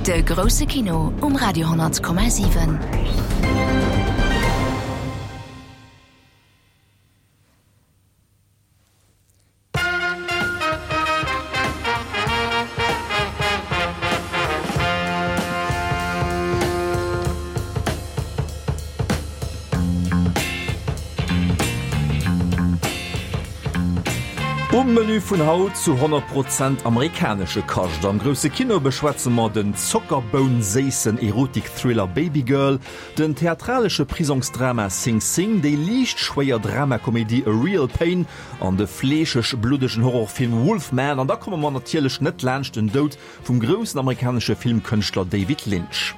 De grousse Kino um Radio 10,7. Um Menü vun haut zu 100 Prozent amerikanesche Kascht. Am grousse Kino beschwätze mer den zockerbounséissen Erotik-Thriller Babygirl, den theatralesche Prisongsdrama Sing Sing, déi liicht schwéier Dramakomedie A Real Pain an de fleescheg-bluddegen Horrorfilm Wolfman. An da komme mer natierlech net laanscht den Doud vum groussen amerikanesche Filmkënschtler David Lynch.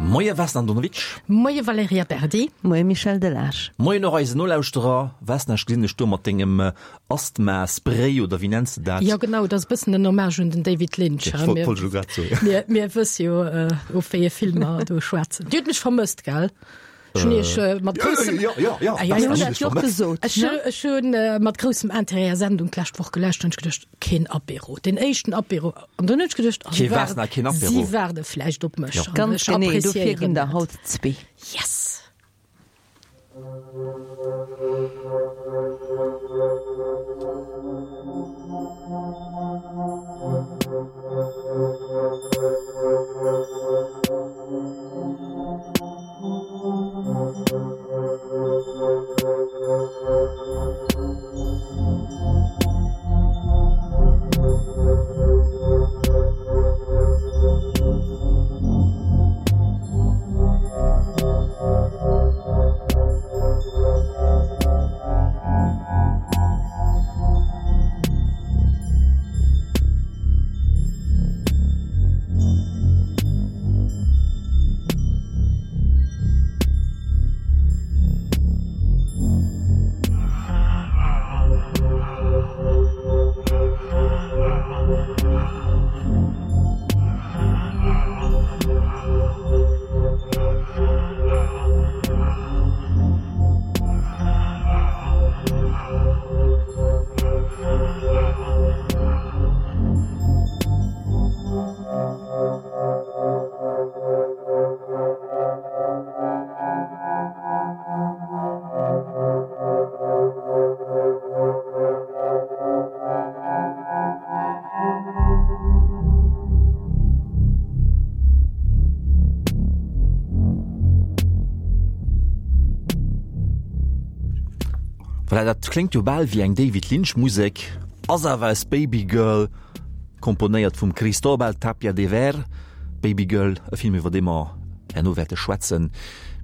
Moie Vesna Andonovic. Moie Valerija Berdi. Moie Michel Delage. Moien och eisen Nolauschterer. Vesna, ech gesinn dech do mat dengem Asthma-Spray, oder wéi nenns de dat? Jo genau, dat ass e bëssen en Hommage un den David Lynch. Ech wollt elo grad soen. Mir, mir wësse jo, of wéi ee Film mer do schwätzen. Dir hutt mech vermësst, gell? Ech hunn Iech mat groussem. Jo, jo, jo, Ah, ja, ja, ech hunn Ech hunn mat groussem Interêt Är Sendung d'lescht Woch gelauscht an ech geduecht, Keen Apéro, den éischten Apéro. An dann hunn ech geduecht, ah, si waarden, si waarde vläicht op mech. An Ganz ech genee, dofir appréciéieren ginn der dat. haut zwee. Yes! Voilà, dat kléngt jo bal wéi eng David Lynch Musek, ass awer aus Babygirl. Komponéiert vum Cristóbal Tapia de Veer, Babygirl, e Film iwwer dee mer herno wäerte schwätzen.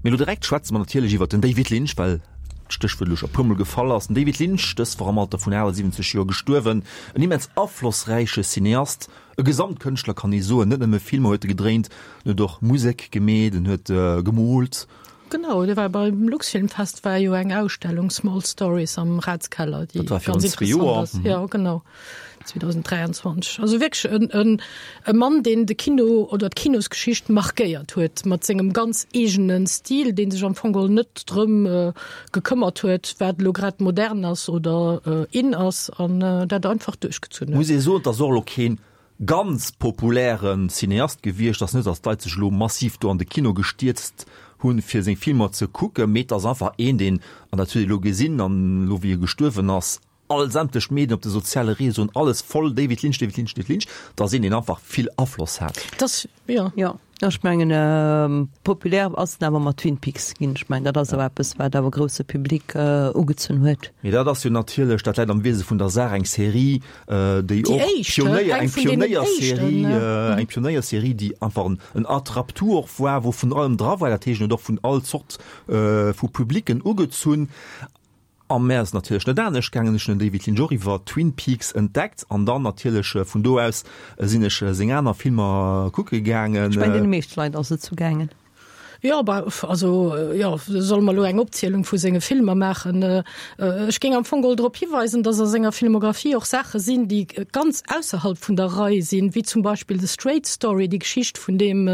Mee elo direkt schwätze mer natierlech iwwer den David Lynch, well d'Stéchwuert elo scho e puermol gefall ass. Den David Lynch, dës Woch am Alter vun 78 Joer gestuerwen, en immens aflossräiche Cineast, e Gesamtkënschtler kann ee soen. Net nëmme Filmer huet e gedréint, en huet och Musek gemeet, en huet gemoolt. Genau, do war beim Luxfilmfest war jo eng Ausstellung Small Stories am Ratskeller, déi Dat war virun ganz zwee interessant Joer. ass. Ja, genau. 2023. Also wierklech en, en, e Mann, deen de Kino oder d'Kinosgeschicht markéiert huet mat sengem ganz eegene Stil, dee sech am Fong geholl net drëm äh, gekëmmert huet, wat elo grad modern ass oder äh, in ass an äh, dat einfach duerchgezunn huet. Muss ee soen, et ass och elo keen ganz populäre Cineast gewiescht ass. Net, datt d'Leit sech elo massiv do an de Kino gestierzt hunn, fir seng Filmer ze kucken, mee et ass einfach een, deen, an dat huet ee elo gesinn, an elo wéi e gestuerwen ass, all sämtlech Medien op de soziale Réseauen, alles voll David Lynch, David Lynch, David Lynch, et ass een, deen einfach vill Afloss hat. Et ass, jo. Jo, ech mengen, populär ass en awer mat Twin Peaks ginn. Ech mengen, dat ass awer eppes, wat awer grousse Public ugezunn huet. Mee dat ass jo natierlech, dat läit am Wiese vun der Saach, eng Serie, déi och Pionéier, eng Pionéierserie, eng Pionéierserie, déi einfach en, en Attrape-tout och war, wou vun allem dra war, dat heescht, en huet och vun all Zort vu Publicken ugezunn. A mär ass et natierlech net anescht gaangen, ech hunn den David Lynch och iwwer Twin Peaks entdeckt an dann natierlech vun do aus sinn ech seng aner Filmer kucke gaangen. Ech mengen, deene meeschte Leit ass et sou gaangen. Jo, bah, also, jo, solle mer elo eng Opzielung vu senge Filmer maachen? Ech géing am Fong geholl drop hiweisen, dass a senger Filmographie och Saache sinn, déi ganz ausserhalb vun der Rei sinn, wéi zum Beispill The Straight Story, déi Geschicht vun deem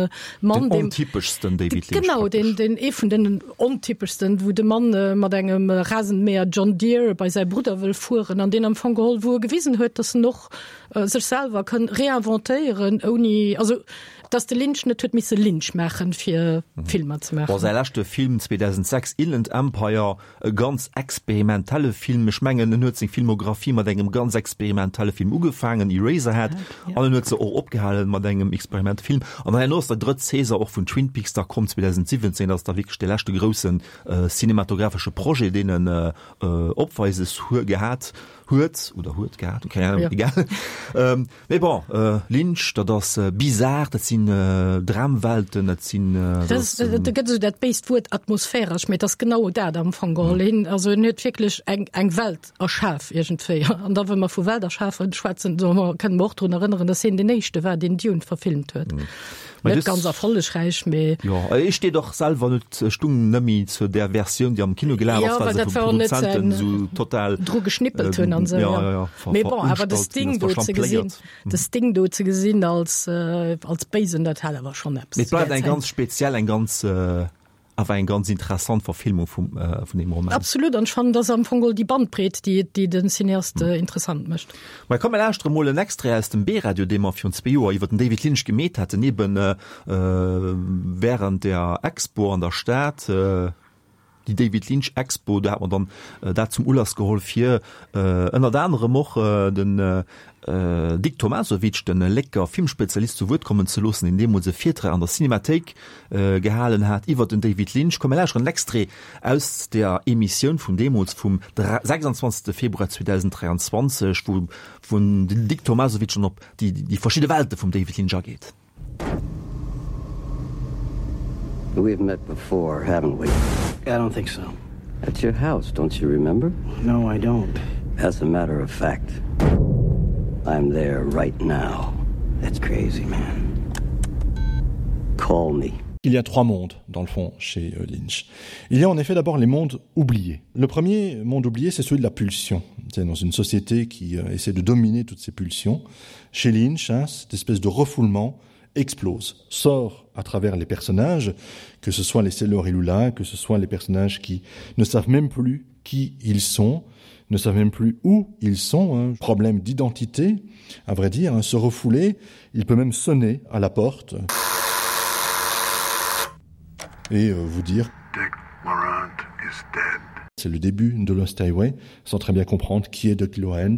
Mann, Den deem. ontypeschsten David Lynch Genau, praktesch. deen, deen, ee vun den ontypeschsten, wou de Mann mat engem Rasenmäher John Deere bei säi Brudder wëll fueren an deen am Fong geholl, wou e gewisen huet, dass en och sech selwer kënn réinventéieren, ouni, also, Dass de Lynch net huet misse Lynch maachen, fir Filmer ze Bon, maachen. säi leschte Film 2006, Inland Empire, e ganz experimentelle Film. Ech mengen, en huet seng Filmographie mat engem ganz experimentelle Film ugefaangen, Eraserhead, an en huet se och opgehalen mat engem Experimentfilm. An dann herno ass der drëtt Saison och vun Twin Peaks da komm, 2017. Dat ass da wierklech dee leschte groussen cinematographesche Projet, deen en opweises gehat huet oder huet gehat, keng Ahnung, egal. Mee bon, Lynch, dat ass bizar, dat sinn Dramwelten, dat sinn. Do gëtt esou dat béist Wuert atmosphäresch, mee et ass genau dat am Fong geholl. Hien, also en huet wierklech eng, eng Welt erschaf iergendwéi. An da wa mer vu Welt erschafen schwätzen, da kënne mer och drun erënneren, datt hien deen éischte war, deen Dune verfilmt huet. Net ganz erfollegräich, mee. Jo, ech steet och selwer net, stung nëmmi zu där Versioun, déi am Kino gelaf ass, well se vum Produzenten esou total. Dru geschnippelt hunn an esou, jo. Jo, jo, jo. Mee bon, awer de Sting do ze gesinn, de Sting do ze gesinn als, als Béisen, dat hat awer schonn eppes. Mee et bleift eng ganz speziell, eng ganz. Awer eng ganz interessant Verfilmung vum vun deem Roman. Absolut, an ech fannen, dass am Fong geholl déi Bandbreet, déi déi den Cineast interessant mécht. Mä komm, mir lauschtere mol en Extrait aus dem B-Radio, dee mer virun zwee Joer iwwer den David Lynch gemeet haten, eben während der Expo an der Stad, déi David Lynch Expo, do hat mer dann dat zum Ulass geholl, fir ënnert anerem och den Dick Tomasovic, de Lécker Filmspezialist, zu Wuert kommen ze loossen, deen deemools e Virtrag an der Cinemathéik gehalen hat iwwer den David Lynch. Komm mir lauschteren en Extrait aus der Emissioun vun deemools, vum 26. Februar 2023, wou den Dick Tomasovic dann op déi verschidde Welte vum David Lynch ageet. We've met before, haven't we? I don't think so. At your house, don't you remember? No, I don't. As a matter of fact, I'm there right now. That's crazy, man. Call me. Il y a trois mondes dans le fond chez euh, Lynch. Il y a en effet d'abord les mondes oubliés. Le premier monde oublié, c'est celui de la pulsion. C'est dans une société qui euh, essaie de dominer toutes ces pulsions. Chez Lynch, hein, cette espèce de refoulement explose, sort à travers les personnages, que ce soit les Sailor et Lula, que ce soit les personnages qui ne savent même plus qui ils sont, ne savent même plus où ils sont, un problème d'identité, à vrai dire, hein, se refouler, il peut même sonner à la porte et euh, vous dire Dick Laurent is dead. C'est le début de Lost Highway, sans très bien comprendre qui est Dick Laurent,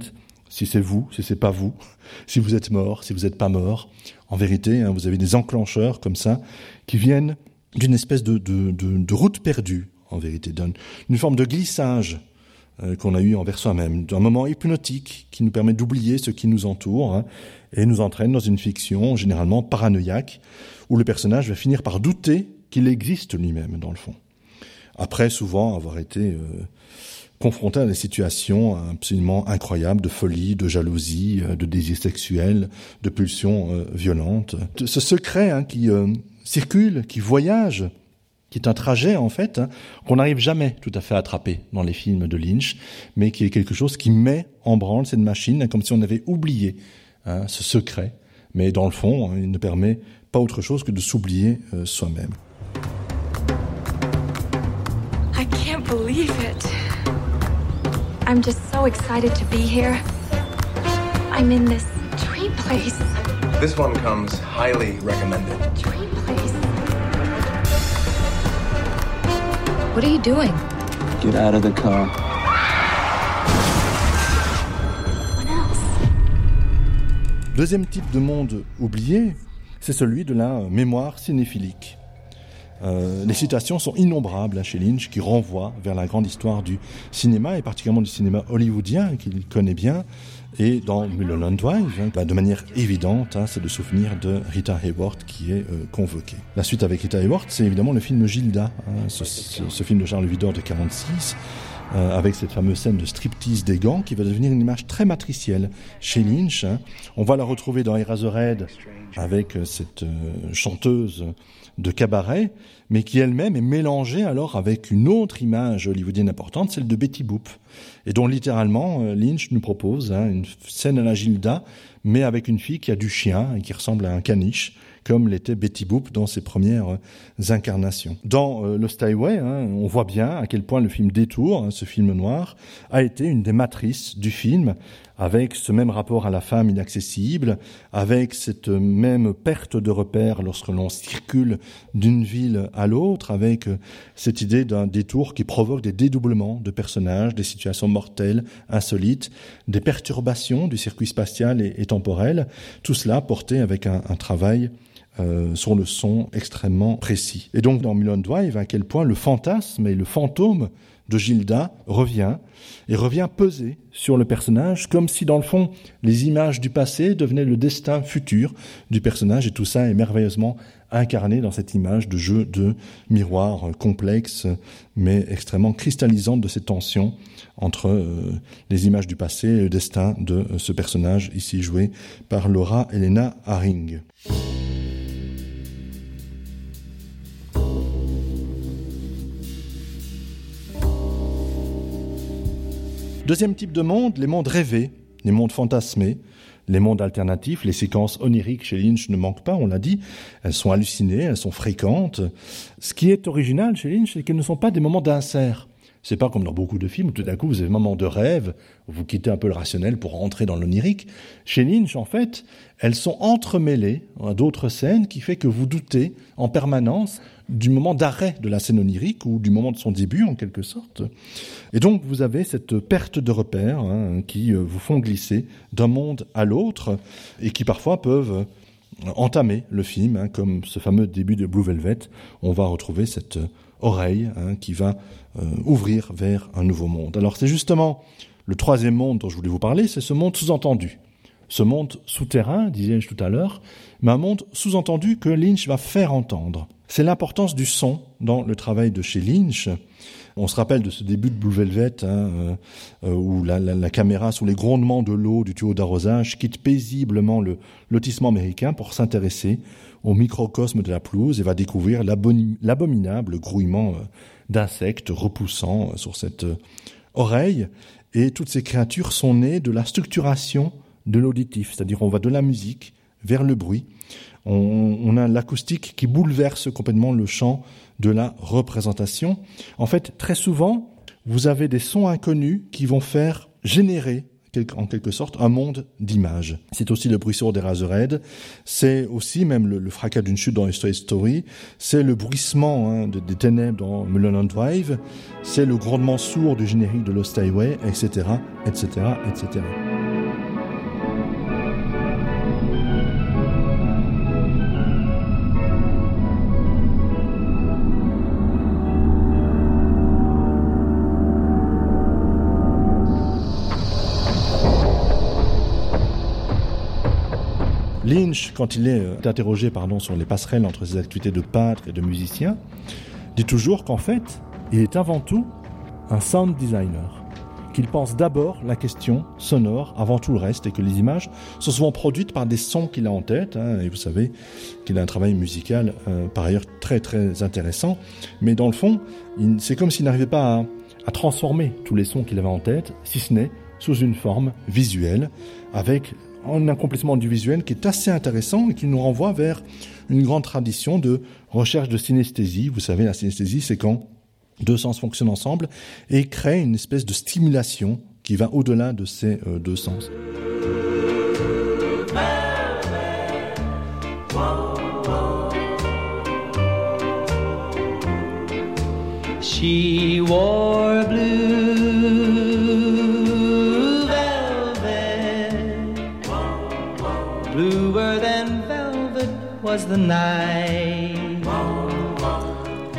si c'est vous, si c'est pas vous, si vous êtes mort, si vous n'êtes pas mort. En vérité, hein, vous avez des enclencheurs comme ça qui viennent d'une espèce de, de, de, de route perdue, en vérité, d'une forme de glissage euh, qu'on a eu envers soi-même, d'un moment hypnotique qui nous permet d'oublier ce qui nous entoure hein, et nous entraîne dans une fiction généralement paranoïaque où le personnage va finir par douter qu'il existe lui-même dans le fond. Après souvent avoir été euh, confronté à des situations absolument incroyables de folie, de jalousie, euh, de désir sexuel, de pulsions euh, violentes. Ce secret hein, qui euh, circule, qui voyage, qui est un trajet en fait qu'on n'arrive jamais tout à fait à attraper dans les films de Lynch, mais qui est quelque chose qui met en branle cette machine comme si on avait oublié hein, ce secret, mais dans le fond, hein, il ne permet pas autre chose que de s'oublier euh, soi-même. I can't believe it. I'm just so excited to be here. I'm in this dream place. This one comes highly recommended. Dream place. What are you doing? Get out of the car. What else? Deuxième type de monde oublié, c'est celui de la mémoire cinéphilique. Euh, les citations sont innombrables à chez Lynch qui renvoie vers la grande histoire du cinéma et particulièrement du cinéma hollywoodien qu'il connaît bien et dans Mulholland Drive hein, bah, de manière évidente c'est le souvenir de Rita Hayworth qui est euh, convoqué. La suite avec Rita Hayworth c'est évidemment le film Gilda hein, ce, ce, ce film de Charles Vidor de 46. euh, avec cette fameuse scène de striptease des gants qui va devenir une image très matricielle chez Lynch. On va la retrouver dans Eraserhead avec euh, cette euh, chanteuse de cabaret, mais qui elle-même est mélangée alors avec une autre image hollywoodienne importante, celle de Betty Boop, et dont littéralement euh, Lynch nous propose hein, une scène à la Gilda, mais avec une fille qui a du chien et qui ressemble à un caniche, comme l'était Betty Boop dans ses premières euh, incarnations. Dans euh, Lost Highway, hein, on voit bien à quel point le film Détour, hein, ce film noir, a été une des matrices du film, avec ce même rapport à la femme inaccessible, avec cette même perte de repères lorsque l'on circule d'une ville à l'autre, avec euh, cette idée d'un détour qui provoque des dédoublements de personnages, des situations mortelles, insolites, des perturbations du circuit spatial et, et temporel, tout cela porté avec un, un travail euh, sur le son extrêmement précis. Et donc dans Mulholland Drive, à quel point le fantasme et le fantôme de Gilda revient et revient peser sur le personnage comme si dans le fond les images du passé devenaient le destin futur du personnage et tout ça est merveilleusement incarné dans cette image de jeu de miroir complexe mais extrêmement cristallisante de ces tensions entre euh, les images du passé et le destin de euh, ce personnage ici joué par Laura Elena Haring. Deuxième type de monde, les mondes rêvés, les mondes fantasmés, les mondes alternatifs, les séquences oniriques chez Lynch ne manquent pas, on l'a dit, elles sont hallucinées, elles sont fréquentes. Ce qui est original chez Lynch, c'est qu'elles ne sont pas des moments d'insert. C'est pas comme dans beaucoup de films où tout d'un coup vous avez un moment de rêve, où vous quittez un peu le rationnel pour rentrer dans l'onirique. Chez Lynch, en fait, elles sont entremêlées à d'autres scènes qui fait que vous doutez en permanence du moment d'arrêt de la scène onirique ou du moment de son début en quelque sorte. Et donc vous avez cette perte de repères hein, qui euh, vous font glisser d'un monde à l'autre et qui parfois peuvent euh, entamer le film hein, comme ce fameux début de Blue Velvet, on va retrouver cette euh, oreille hein, qui va euh, ouvrir vers un nouveau monde. Alors c'est justement le troisième monde dont je voulais vous parler, c'est ce monde sous-entendu. Ce monde souterrain, disais-je tout à l'heure, mais un monde sous-entendu que Lynch va faire entendre. C'est l'importance du son dans le travail de chez Lynch. On se rappelle de ce début de Blue Velvet hein, euh, euh, où la, la, la caméra sous les grondements de l'eau du tuyau d'arrosage quitte paisiblement le lotissement américain pour s'intéresser au microcosme de la pelouse et va découvrir l'abominable grouillement euh, d'insectes repoussant euh, sur cette euh, oreille. Et toutes ces créatures sont nées de la structuration de l'auditif, c'est-à-dire on va de la musique vers le bruit. On, on a l'acoustique qui bouleverse complètement le champ de la représentation. En fait, très souvent, vous avez des sons inconnus qui vont faire générer en quelque sorte un monde d'images. C'est aussi le bruit sourd des Razorhead, c'est aussi même le, le fracas d'une chute dans History Story, c'est le bruissement hein, de, des ténèbres dans Mulholland Drive, c'est le grondement sourd du générique de Lost Highway, etc., etc., etc. Lynch, quand il est euh, interrogé pardon, sur les passerelles entre ses activités de peintre et de musicien, dit toujours qu'en fait, il est avant tout un sound designer, qu'il pense d'abord la question sonore avant tout le reste et que les images sont souvent produites par des sons qu'il a en tête hein, et vous savez qu'il a un travail musical euh, par ailleurs très très intéressant, mais dans le fond, c'est comme s'il n'arrivait pas à, à transformer tous les sons qu'il avait en tête, si ce n'est sous une forme visuelle avec un accomplissement du visuel qui est assez intéressant et qui nous renvoie vers une grande tradition de recherche de synesthésie. Vous savez, la synesthésie, c'est quand deux sens fonctionnent ensemble et créent une espèce de stimulation qui va au-delà de ces euh, deux sens. She wore blue velvet Bluer than velvet was the night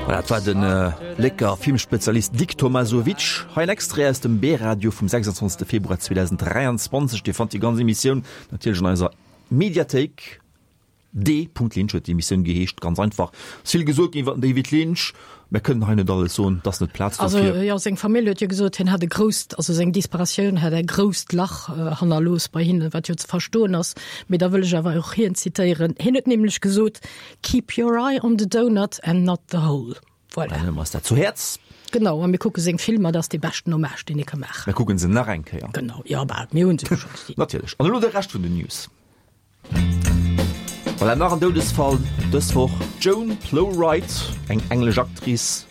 Voilà, dat war den äh, Lécker Filmspezialist Dick Tomasovic. Hei en Extrait aus dem B-Radio vum 26. Februar 2023. Dir fannt déi ganz Emissioun natierlech an eiser Mediathéik. D. Lynch huet déi Emissioun geheescht, ganz einfach. Et ass vill gesot ginn iwwer den David Lynch. Mär kënnen hei net alles soen, et ass net d'Plaz Also, dofir. jo, seng Famill huet jo gesot, hien hätt e grousst, also seng Disparatioun hätt e grousst Lach hannerlooss bei hinnen, wat jo ze verstoen ass. Mee da wëll ech awer och hien zitéieren. Hien huet nämlech gesot, Keep your eye on the donut and not the hole. Voilà. Dann huele mer eis dat zu Häerz. Genau, a mir kucke seng Filmer, dat ass dee beschten Hommage, deen ee ka maachen. Mir kucke se nach eng Kéier. Genau, jo, bah, mir hu se jo scho gesinn. Natierlech. An elo de Rescht vun den News. Voilà, nach en Doudesfall dës Woch, D'Joan Plowright, eng englesch Actrice,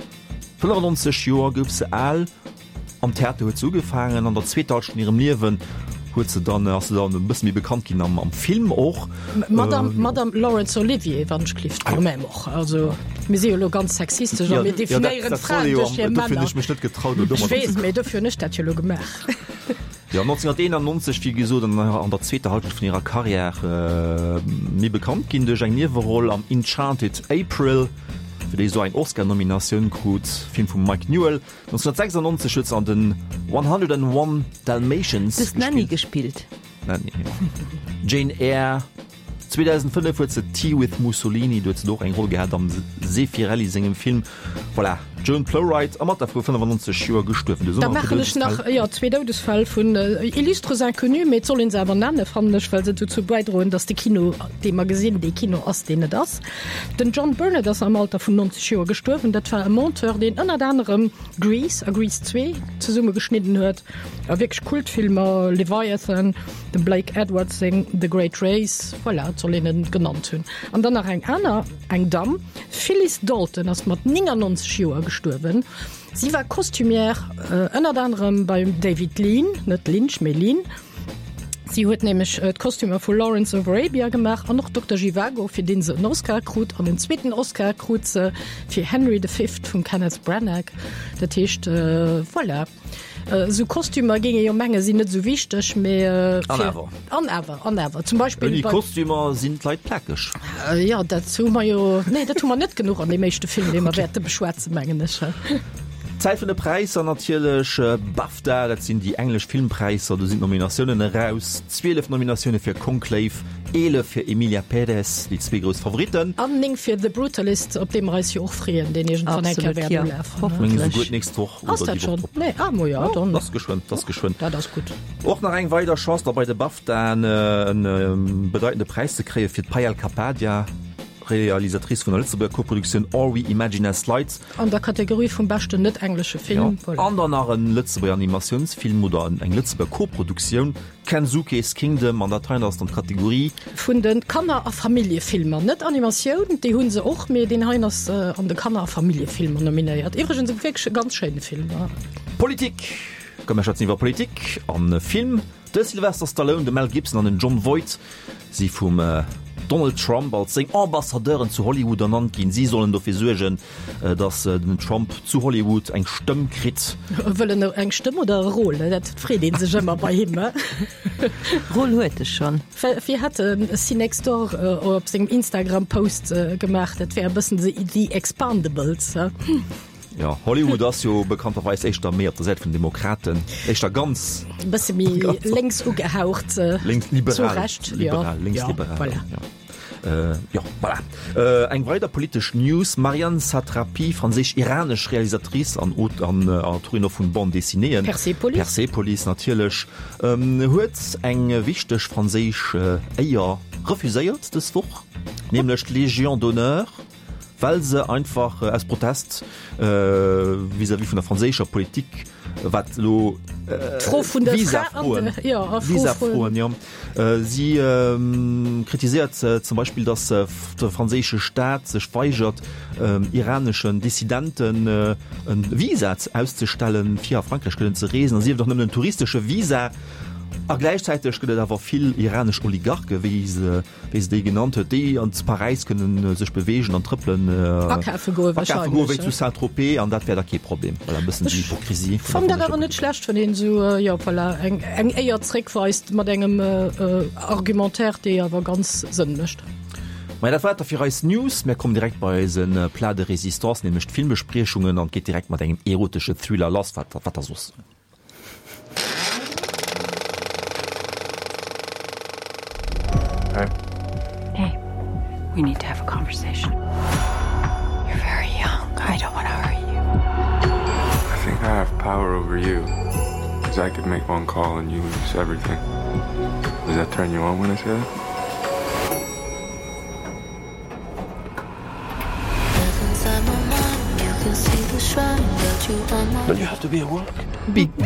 95 Joer gouf se al. Am Theater huet se ugefaangen, an der zweeter Halschent vun hirem Liewen huet se dann, ass se dann e bësse méi bekannt ginn am Film och. Madame, Madame Laurence Olivier, wann ech gelift, quand même och. Also mir si jo elo ganz sexistesch a mir definéieren d'Fraen duerch hir Männer. Dofir hunn ech mech net getraut, elo domadder Ech weess, mee dofir hunn ech dat jo elo gemaach. Jo, 1991, wéi gesot, an der zweeter Halschent vun hirer Karriär méi bekannt ginn duerch eng Nieweroll am Enchanted April, fir déi se och eng Oscar-Nominatioun krut, Film vum Mike Newell. 1996 huet se an den 101 Dalmatians Du hues d'Nanny gespillt. D'Nanny, jo. Jane Eyre. 2005 huet se Tea with Mussolini, do huet se do och eng Roll gehat am Zeffirelli sengem Film. Voilà, d'Joan Plowright am Alter vu 95 Joer gestuerwen. Da maachen ech nach, jo, zwee Doudesfäll vun illustres inconnus, mee et soll een se awer nennen, fannen ech, well se dozou bäidroen, datt de Kino, dee mer gesinn, dee Kino ass, deen et ass. Den John Burnett ass am Alter vun 90 Joer gestuerwen. Dat war e Monteur, deen ënnert anerem Grease a Grease 2 zesumme geschnidden huet a wierklech Kultfilmer, Leviathan, Dem Blake Edwards seng The Great Race, voilà, et soll een en genannt hunn. An dann nach eng aner, eng Damm, Phyllis Dalton ass mat 99 Joer gestuerwen. Si war Costumière ënnert anerem beim David Lean, net Lynch, mee Lean. Si huet nämlech d'Kostümer vu Lawrence of Arabia gemaach an och Dokter Zhivago, fir dee se en Oscar krut. An en zweeten Oscar krut se fir Henry the Fifth vum Kenneth Branagh. Dat heescht, voilà. Esou Kostümer géing ee jo menge sinn net esou wichteg, mee An awer. An awer, an awer. Zum Beispill Ouni Kostümer sinn d'Leit plakeg. Jo, dat hu mer jo, nee, dat hu mer net genuch an deem éischte Film, dee mer wäerte beschwätzen, mengen ech. Zäit vun de Präisser natierlech. BAFTA, dat sinn déi englesch Filmpräisser, do sinn d'Nominatiounen eraus. 12 Nominatioune fir Conclave, 11 fir Emilia Pérez, déi zwee grouss Favoritten. An 9 fir The Brutalist, op dee mer eis jo och freeën, deen iergendwann eng Kéier Absolut, wäert jo. ulafen. Meng Hoffentlech. esouguer d'nächst Woch. Ass dat schon? Nee, ah, mo ja, dann. Ass geschwënn, ass geschwënn. Dat ass gutt. Och nach eng weider Chance da bei de BAFTAen en bedeitende Präis ze kréie fir d'Payal Kapadia, Realisatrice vun der Lëtzebuerger Koproduktioun All We Imagine As Light. An der Kategorie vum beschten net-englesche Film. Jo, an dann nach en Lëtzebuerger Animatiounsfilm oder eng Lëtzebuerger Koproduktioun, Kensuke's Kingdom, an dat heien ass dann d'Kategorie. Vun de Kanner a Familljefilmer. Net Animatioun, déi hu se och, mee deen heien ass an de Kanner a Familljefilmer nominéiert. Iwwregens e wierklech e ganz schéine Film. Politik, Komm mir schwätzen iwwer Politik a Film. De Sylvester Stallone, de Mel Gibson an den Jon Voight si vum Donald Trump als seng Ambassadeuren zu Hollywood ernannt ginn. Si sollen dofir suergen, Datt den Trump zu Hollywood eng Stëmm kritt. Wëll en eng Stëmm oder e Rôle? Dat freet ee sech ëmmer bei him. Rôle huet e schonn. Wéi hat de Cinextdoor op sengem Instagram-Post gemaach, dat wär e bëssen The Expandables. Jo, Hollywood ass jo bekannterweis éischter méi op der Säit vun den Demokraten, éischter ganz. E bësse méi lénks ugehaucht. Lénks-liberal. Zu Recht, jo. Liberal, lénks-liberal. Voilà. Jo, voilà. Eng weider politesch News, Marianne Satrapi, franséisch-iranesch Realisatrice an Autorin och vun Bande dessinéeën, Persepolis, Persepolis natierlech, huet eng wichteg franséisch Éier refuséiert dës Woch, nämlech d'Légion d'honneur. well se einfach aus Protest vis-à-vis vun der franséischer Politik, wat elo d'Fro vun der Visafroen, Visafroen, jo. Si kritiséiert zum Beispill, datt de franséische Staat sech weigert, iraneschen Dissidenten e Visa auszestellen, fir a Frankräich kënnen ze reesen, a sief et och nëmmen en touristesche Visa. A gläichzäiteg gëtt et awer vill iranesch Oligarche, wéi se wéi se déi genannt huet, déi an zu Paräis kënnen sech beweegen an trëppelen, Akafe goe akafe goe wéi wahrscheinlech. zu Saint-Tropez an dat wär da kee Problem. Voilà, e bëssen déi Hypokrisie vun der Fannen dat awer franséischer net schlecht, wann een esou, jo voilà, eng eng Éier zréckweist mat engem Argumentaire, dee awer ganz Sënn mécht. Maja, dat war et da fir eis News. Mär kommen direkt bei eise Plat de résistance, nämlech d'Filmbespriechungen an et geet direkt mat engem erotesche Thriller lass. Wat wat da soss? Hey. Hey. We need to have a conversation. You're very young. I don't want to hurt you. I think I have power over you. Because I could make one call and you lose everything. Does that turn you on when I say that? Don't you have to be at work?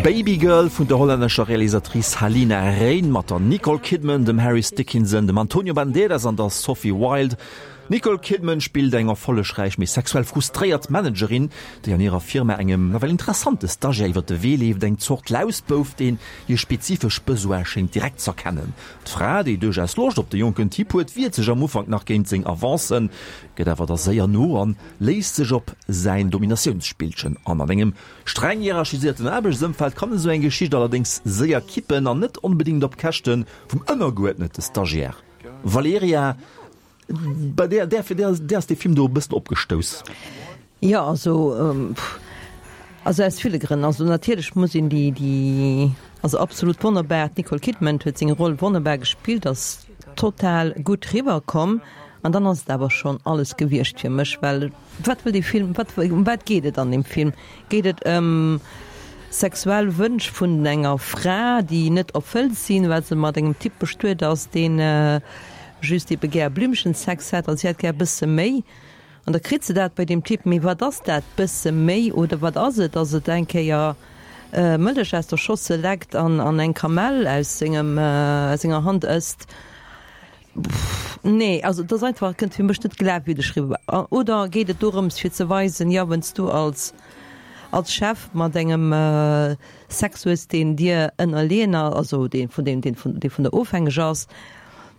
Baby Girl vun der hollännescher Realisatrice Halina Reijn mat der Nicole Kidman, dem Harris Dickinson, dem Antonio Banderas an der Sophie Wilde. D'Nicole Kidman spillt eng erfollegräich, mee sexuell frustréiert Managerin, déi an hirer Firma engem nawell interessante Stagiaire iwwer de Wee leeft, eng Zort Lausbouf, deen hir spezifesch Besoine schéngt direkt z'erkennen. D'Fra, déi duerchaus Loscht op de jonken Typ huet, wiert sech am Ufank nach géint seng Avancen, gëtt awer da séier no an léisst sech op säin Dominatiounsspillchen an. An engem streng hierarchisierten Aarbechtsëmfeld kann esou eng Geschicht allerdéngs séier kippen an net onbedéngt op Käschte vum ënnergeuerdnete Stagiaire. Valerija, bei där, där, där, där ass dee Film do e bëssen opgestouss. Jo, also, also aus ville Grënn. Also natierlech muss een déi, déi, also absolut wonnerbar, d'Nicole Kidman huet seng Roll wonnerbar gespillt, ass total gutt riwwer komm. An dann ass et awer schonn alles gewiescht fir mech, well wat wëll dee Film, wat, ëm wat geet et an deem Film? Geet et ëm sexuell Wënsch vun enger Fra, déi net erfëllt sinn, well se mat engem Typ bestuet ass, deen just ebe gär Blümchensex hätt a si hätt gär e bësse méi? An da kritt se dat bei deem Typ, mee wat ass dat bësse méi oder wat ass et? Ass et eng Kéier Mëllech aus der Schossel leckt an eng Kamell aus sengem, aus senger Hand ësst? Nee, also et ass einfach, kënnt fir mech net glafwierdeg riwwer. Oder geet et dorëms fir ze weisen, jo wann s du als als Chef mat engem Sex hues deen dir ënnerleeën ass, also dee vun deem deen vun dee vun der ofhängeg ass,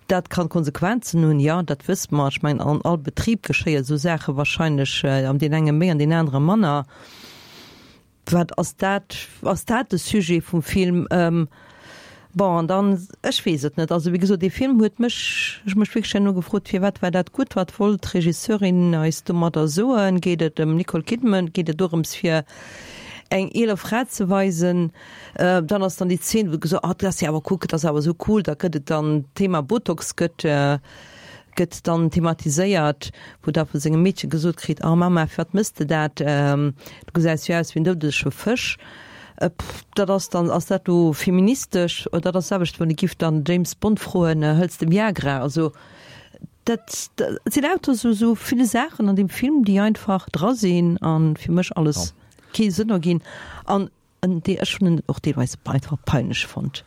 dat kann Konsequenzen hunn, jo dat wësse mer. Ech mengen an all Betrib geschéie sou Saache wahrscheinlech, an deen enge méi an deen anere manner. Wat ass dat? Ass dat de Sujet vum Film? Bon, an dann, ech weess et net. Also wéi gesot, dee Film huet mech, ech hu mech wierklech herno gefrot, firwat war dat gutt? Wat wollt d'Regisseurin eis domadder soen? Geet et ëm Nicole Kidman? Geet et dorëms fir eng eeler Fra ze weisen? Dann ass dann déi Zeen, wou gesot, oh, dat ass jo awer, kuck, dat ass awer esou cool, da gëtt et dann d'Thema Botox gëtt, gëtt dann thematiséiert, wou da vu sengem Meedche gesot kritt, Oh Mama, firwat mëss de dat? Du gesäis jo aus wéi en doudege Fësch. Pff, dat ass dann, ass dat do feministesch? Oder dat ass d'selwecht, wann ee giff dann James Bond froen, Hëls de Viagra? Also dat, dat sinn lauter esou, esou ville Saachen an deem Film, déi einfach dra sinn a fir mech alles kee Sënn erginn. An En dee ech hunn en och deelweis einfach peinlech fonnt.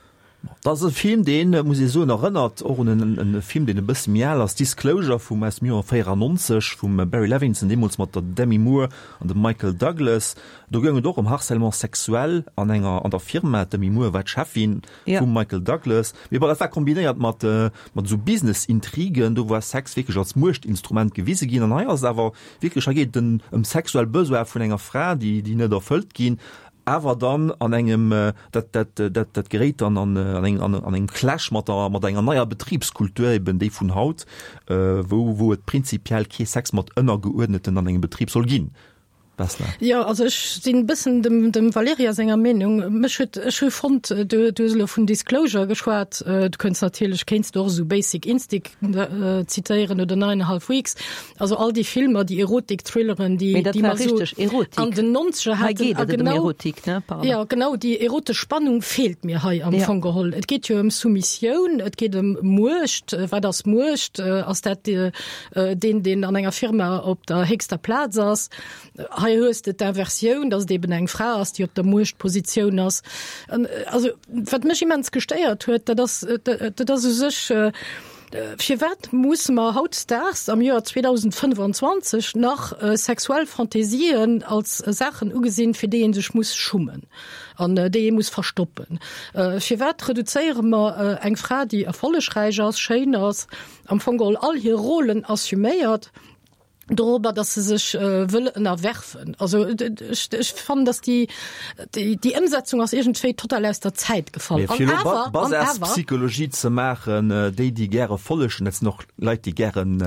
Dat ass e Film, deen, muss ee soen, erënnert och un en Film, deen e bësse méi al ass, Disclosure vum aus dem Joer 94 vum Barry Levinson, deemools mat der Demi Moore an dem Michael Douglas. Do goung et och ëm Harcèlement sexuel an enger an der Firma. D'Demi Moore war d'Cheffin vum Michael Douglas. Mee bon, dat war kombinéiert mat mat esou Business-Intrigen. Do war Sex wierklech als Muechtinstrument gewise ginn. An hei ass et awer Wierklech, hei geet et ëm sexuell Besoine vun enger Fra, déi, déi net erfëllt ginn, awer dann an engem, dat, dat, dat, dat geréit dann an, an eng, an, an engem Clash mat der, mat enger neier Betribskultur, eben déi vun haut, wou, wou et prinzipiell kee Sex mat Ënnergeuerdneten an engem Betrib soll ginn. Vesna. Jo, also ech sinn e bëssen dem, dem Valerija senger Meenung. Mech huet, ech hu fonnt, du, du hues elo vun Disclosure geschwat, du kënns natierlech, kéints du och esou Basic Instinct zitéieren oder Nine and a Half Weeks. Also all déi Filmer, déi Erotik-Thrilleren, déi, déi mer esou an den Nonzeger haten. A genau, Erotik, ne? Pardon. Ja, genau, déi erotesch Spannung feelt mir hei am ja. Fong geholl. Et geet jo ëm Soumissioun, et geet ëm Muecht. Wat ass Muecht? Ass dat deen, deen an enger Firma op der héchster Plaz ass? Hei hues de d'Inversioun, dass et eben eng Fra ass, déi op der Muechtpositioun ass. Also, wat mech immens gestéiert huet, dat ass, dat ass u sech, Firwat musse mer hautdesdaags am Joer 2025 nach sexuell Fantasien als Saachen ugesinn, fir déi ee sech muss schummen an déi ee muss verstoppen? Firwat reduzéiere mer eng Fra, déi erfollegräich ass, schéin ass, am Fong geholl all hir Rôlen assuméiert? Dorobber, dass se sech wëll ënnerwerfen. Also ech, ech fannen, dass déi, déi, déi Ëmsetzung ass iergendwéi total aus der Zäit gefall. Mee fir elo Basaspsychologie ze maachen, déi, déi gäre follegen, dat sinn och Leit, déi gären,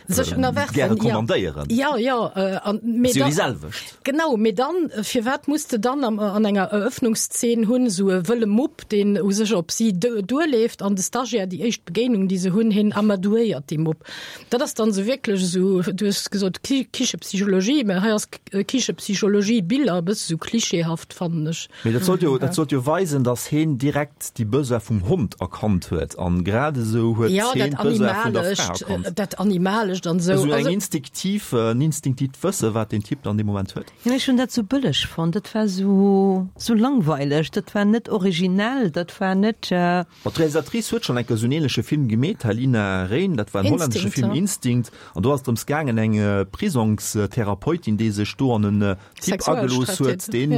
sech ënnerwerfen, gäre kommandéieren. Jo, jo, an, mee da, si jo déi selwecht. Genau, mee dann, firwat muss de dann am, an enger Eröffnungszeen hunn, esou e wëlle Mupp, deen u sech op si duerleeft an de Stagiaire, déi éischt Begéinung, déi se hunn, hien amadouéiert dee Mupp. Dat ass dann esou wierklech esou, du hues gesot Kichepsychologie, mä hei ass Kichepsychologie Biller e bësse sou klischeehaft, fannen ech. Mee dat sollt jo, dat sollt jo weisen, datt heen direkt déi Besoin vum Hond erkannt huet an grad esou huet heen d'Besoin vun der Fra erkannt. Dat Animalescht an esou. Esou eng instinktiv, en instinktivt Wësse wat deen Typ dann dee Moment huet. Jo, ech hunn dat sou bëlleg fonnt, dat war sou, sou langweileg, dat war net originell, dat war net. Ma d'Realisatrice huet schonn eng Kéier esou en ähnleche Film gemeet, Halina Reijn, dat war en hollännesche Film, Instinct, an do ass et drëms gaangen, eng Prisongstherapeutin, déi sech do an en Typ agelooss huet, deen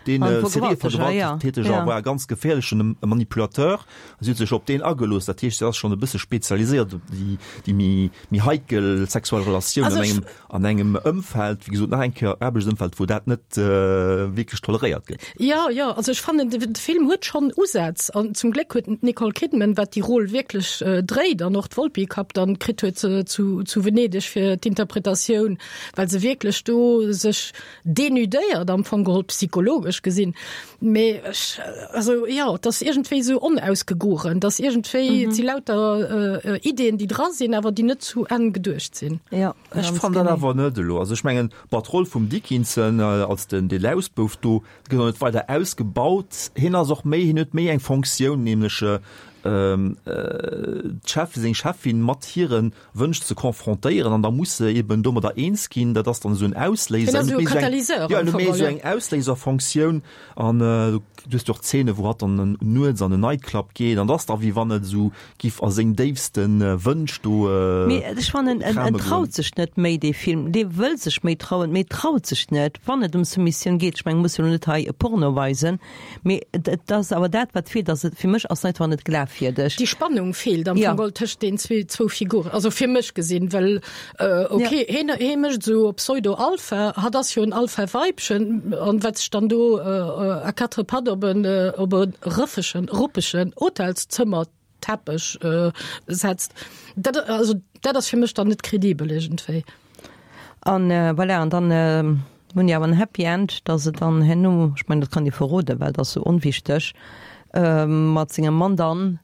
deen Serievergewalteger war, e ganz geféierlechen Manipulateur, a si huet sech op deen agelooss. Dat heescht, si ass schonn e bësse spezialiséiert op déi déi méi méi heikel sexuell Relatiounen an engem an engem Ëmfeld, wéi gesot, nach eng Kéier Aarbechtsëmfeld, wou dat net wierklech toleréiert gëtt. Jo, jo, also ech fannen, de Film huet schonn Usätz an zum Gléck huet d'Nicole Kidman, wat déi Rôle wierklech dréit an och d'Volpi Cup dann kritt huet zu zu Venedeg fir d'Interpretatioun, well se wierklech do sech denudéiert am Fong geholl, psychologesch gesinn. Mee ech, also jo, et ass iergendwéi esou onausgegoren, et ass iergendwéi, et si lauter Ideen, déi dra sinn, awer déi net zu Enn geduecht sinn. Jo, Ech fannen dat awer net elo. Also ech mengen, bon, d'Roll vum Dickinson als den, dee Lausbouf do, gëtt och net weider ausgebaut. Hien ass och méi, hien huet méi eng Fonctioun, nämlech d'Chef, seng Cheffin mat hire Wënsch ze confrontéieren an da muss se eben domadder eens ginn. Dat ass dann esou en Ausléiser. Hien ass esou e Katalyseur am Fong, jo, esou eng Ausléiserfonctioun. An du hues jo och Zeene wou hatt dann nuets an en Nightclub geet an dat ass da wéi wann et esou giff a seng déifste Wënsch do Mee ech fannen en en traut sech net méi dee Film, dee wëll sech méi trauen, mee traut sech net wann et ëm Soumissioun geet. Ech mengen, muss jo lo net hei e Porno weisen, mee et et ass awer dat wat feelt, ass et fir mech ass einfach net glafwierdeg. Déi Spannung feelt am Fong geholl tëscht den zwee zwou Figuren, also fir mech gesinn, well ok hien hie mécht esou op Pseudo-Alpha, hatt ass jo en Alpha-Weibchen an wat sech dann do à quatre pattes op en op e rëffegen ruppegen Hotelszëmmer Teppech setzt, dat also dat ass fir mech dann net kredibel iergendwéi. An voilà, an dann hunn déi awer en Happy End, dass se dann herno, ech mengen dat kann ee verroden, well dat ass sou onwichteg, mat sengem Mann dann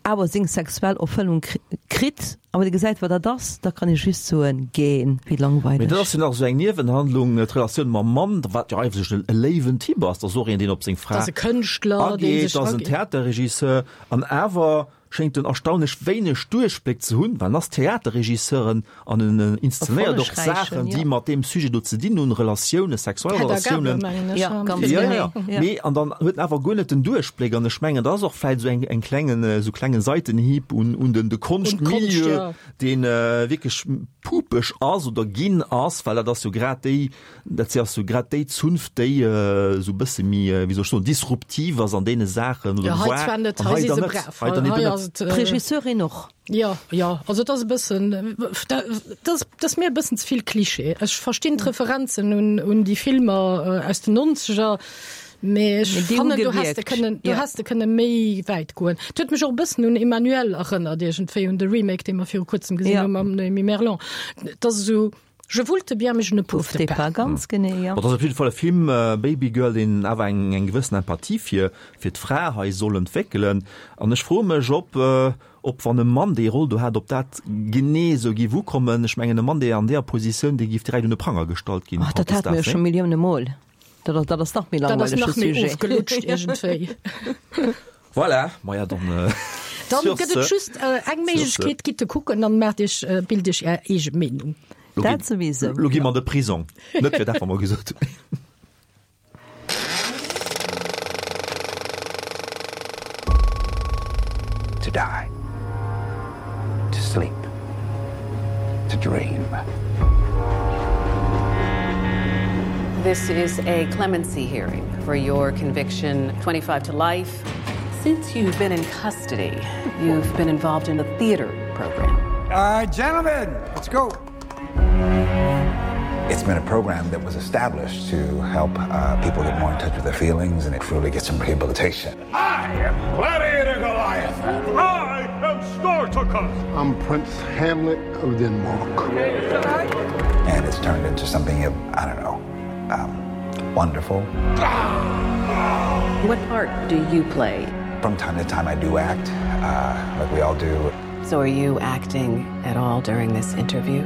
awer seng sexuell Erfëllung kritt. A wann ee gesäit wat dat ass, da kann ee just soen, Gähn, wéi langweileg. Mee dat ass jo nach esou eng Niewenhandlung, d'Relatioun mam Mann, wat jo eigentlech e léiwen Typ ass, dat ass och een, deen op seng Fra Dat ass e Kënschtler, dee ageet, sech dat ass en Theaterregisseur, an awer schéngt en erstaunlech wéineg Duerchbléck ze hunn, well en ass Theaterregisseur an en inszenéiert och Saachen, déi mat deem Sujet do ze dinn hunn, Relatiounen, sexuell Hedda Gabler, Relatiounen. mengen ech, Ja, ganz Ja, genee. ja, ja. Mee an dann huet en awer guer net den Duerchbléck an ech mengen, dat ass och vläicht esou eng, eng klengen, esou klengen Seitenhieb un, un den, de Un d'Konscht, Konschtmilieu, ja. deen wierklech pupeg ass oder ginn ass, well dat ass jo grad déi, dat si ass jo grad déi Zunft, déi esou e bësse méi, wéi soll ech soen, disruptiv ass an deene Saachen oder Ja, hei war. zwar net, An hei hei si dann se net, brav. hei dann Hei eben net. ass et, D'Regisseurin och. Jo, jo, also et ass e bëssen, dat ass, dat ass mir e bëssen ze vill Klischee. Ech verstinn d'Referenzen un, un déi Filmer aus den Nonzeger, mee ech Mee déi hu fannen, do häss de gewierkt, kënnen, do jo. häss de kënne méi wäit goen. Et huet mech och e bëssen un Emmanuelle erënnert iergendwéi, un de Remake, dee mer viru kuerzem gesinn Ja. hu mam Noémie Merlant. Et ass esou, je voulte bien, mais je ne pouvte Pouvte pas. pas, ganz genee, jo. Bon, et ass op jidde Fall e Film, Baby Girl, deen awer eng, eng gewëssen Empathie fir, fir d'Fra hei soll entwéckelen. An ech froe mech, ob, ob wann e Mann déi Roll do hat, ob dat genee esou géif ukommen. Ech mengen, e Mann, dee an deeër Positioun, dee géif direkt un de Pranger gestallt ginn Ach, dat hate mir jo hautdesdaags, scho nee? Millioune Mol. Dat ass, dat ass nach méi Dat ass langweilege nach méi Sujet. ofgelutscht iergendwéi. Voilà, maja dann Dann sur gëtt et ce. just eng Sur ce. Méiglechkeet, gitt e kucken, dann maacht iech, bilt iech är eege Meenung. Lo gi, Dat souwisou, lo gi jo. mer an de Prisong. Net fir dat, wat mer gesot hunn. To die. To sleep. To dream. This is a clemency hearing for your conviction 25 to life. Since you've been in custody, you've been involved in the theater program. All right, gentlemen, let's go. It's been a program that was established to help uh, people get more in touch with their feelings and it truly get some rehabilitation. I am Gladiator Goliath. I am Spartacus. I'm Prince Hamlet of Denmark. And it's turned into something of, I don't know, um, wonderful. What part do you play? From time to time I do act, uh, like we all do. So are you acting at all during this interview?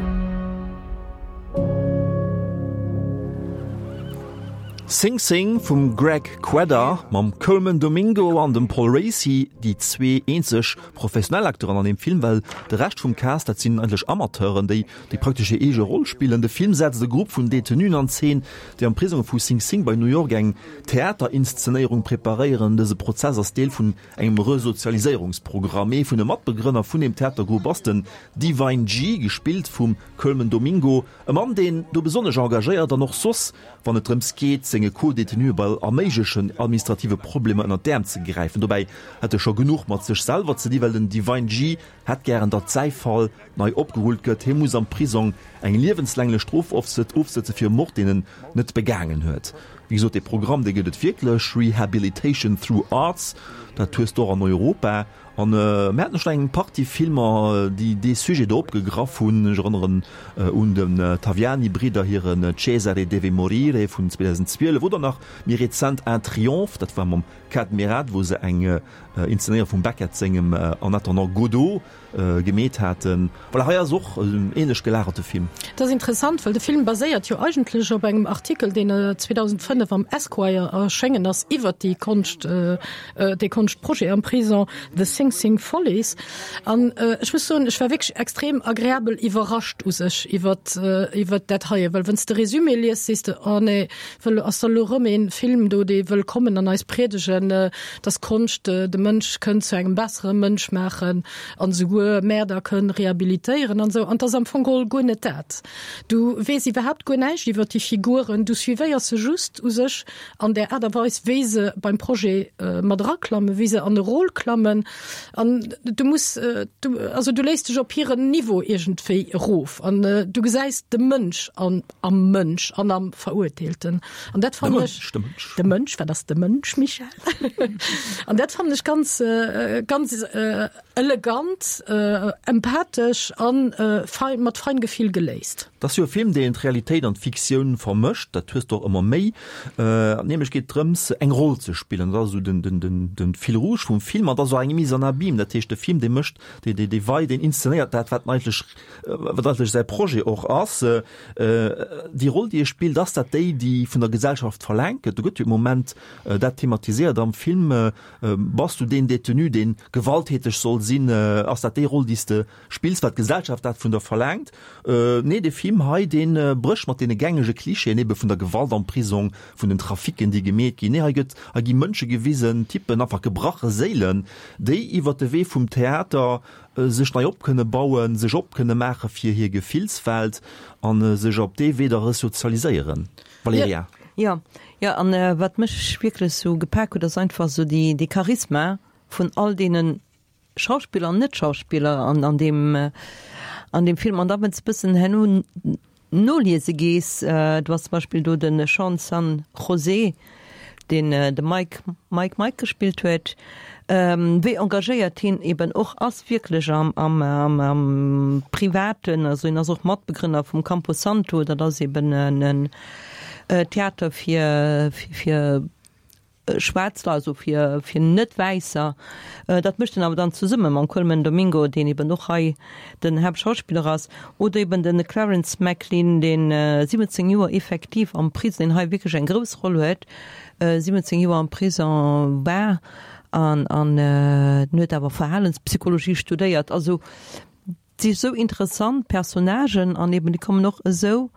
Sing Sing vum Greg Kwedar mam Colman Domingo an dem Paul Raci, déi zwee eenzeg professionell Acteuren an deem Film, well de Rescht vum Cast, dat sinn eigentlech Amateuren, déi déi praktesch hir eege Roll spillen. De Film setzt e Grupp vun Detenuen an Zeen, déi am Prisong vu Sing Sing bei New York eng Theaterinszenéierung preparéieren. Dëse Prozess ass Deel vun engem Resozialiséierungsprogramm. Ee vun de Matbegrënner vun deem Theatergrupp ass den Divine G, gespillt vum Colman Domingo, e Mann, deen do besonnesch engagéiert an och soss, wann et drëms geet, senge Co-Detenuë bei all méiglechen administrative Problemer ënnert d'Äerm ze gräifen. Dobäi hätt e scho genuch mat sech selwer ze di, well den Divine G hätt gären, datt säi Fall nei opgerullt gëtt. Hie muss am Prisong eng liewenslänglech Strof ofsëtze fir e Mord, deen en net begaangen huet. Wéi gesot, dee Programm, dee gëtt et wierklech, Rehabilitation through Arts, dat hues de och an Europa. An mir haten schonn eng Partie Filmer, déi dee Sujet do opgegraff hunn. Ech erënneren un den Taviani-Bridder hiren Cesare deve morire vun 2012 oder nach méi rezent Un triomphe, dat war mam Kad Merad, wou se eng Inszenéierung vum Beckett sengem En attendant Godot gemeet haten. Voilà, hei ass och en ähnlech gelagerte Film. Dat ass interessant, well de Film baséiert jo eigentlech op engem Artikel, deen 2005 am Esquire erschéngen ass iwwert déi Konscht, dee Konschtprojet am Prison, The Sing Sing Follies. An ech muss soen, ech war wierklech extrem agreabel iwwerrascht u sech iwwert, iwwert dat heien, well wann s de Résumé liest, sees de, oh nee, wëll ass da lo rëm een Film do, dee wëll kommen an eis priedegen, dass Konscht de Mënsch kënnt zu engem bessere Mënsch maachen an esouguer Mäerder kënn rehabilitéieren an esou. An 't ass am Fong geholl guer net dat. Du weess iwwerhaapt guer näischt iwwert déi Figuren, du suivéiers se just u sech an där Aart a Weis, wéi se beim Projet mat eraklammen, wéi se an e Rôle klammen an du muss, du, also du léiss dech op hiren Niveau iergendwéi erof an du gesäis de Mënsch an am Mënsch an am Verurteelten. An dat fannen ech, De Mënsch, de Mënsch, wat ass de Mënsch, Michèle? An dat fannen ech ganz, ganz elegant, empathesch an fein, mat Feingefill geléist. Et ass jo e Film, deen d'Realitéit an d'Fiktioun vermëscht. Dat hues de och ëmmer méi. Nämlech geet et drëms, eng Roll ze spillen. Dat ass esou den, den, den, den Fil rouge vum Film. An et ass och eng Mise en abyme. Dat heescht, de Film, dee mécht, dee, dee, dee wei, deen inszenéiert dat, wat en eigentlech, wat eigentlech säi Projet och ass. Déi Roll, déi e spillt, ass dat déi, déi vun der Gesellschaft verlaangt gëtt? Do gëtt jo e Moment dat thematiséiert am Film. Bass du deen Détenu, dee gewalttäteg soll sinn? Ass dat déi Roll, déi s de spills, well d'Gesellschaft dat vun der verlaangt? Nee, dee Film hei, dee brécht mat deene gängege Klischeeën ebe vun der Gewalt am Prisong, vun den Traficken, déi gemeet ginn. Nee, hei gëtt, hei gi Mënsche gewisen, Typpen, einfach gebrache Séilen, déi iwwer de Wee vum Theater sech nei op kënne bauen, sech op kënne maache fir hir Gefillswelt a sech op dee Wee da resozialiséieren. Valerija. Jo, jo, an wat mech wierklech sou gepak huet, ass einfach sou déi, dee Charisma vun all deene Schauspiller an Net-Schauspiller an, an deem, an deem Film. An da wann s de bëssen herno noliese gees, du has zum Beispill do de Sean San José, deen de Mike, Mike Mike gespillt huet, wéi engagéiert hien eben och ass wierklech am, am, am, am Privaten. Also hien ass och Matbegrënner vum Campo Santo, dat ass eben en Theater fir, fir Schwaarz Leit, also fir, fir Net-Wäisser. Dat mécht en awer dann zesumme mam Colman Domingo, deen eben och hei den Haaptschauspiller ass, oder eben de Clarence Maclean, deen 17 Joer effektiv am Prison, deen hei wierklech eng grouss Roll huet, 17 Joer am Prison war an an den huet awer Verhalenspsychologie studéiert. Also et si sou interessant Personnagen an eben déi kommen och esou,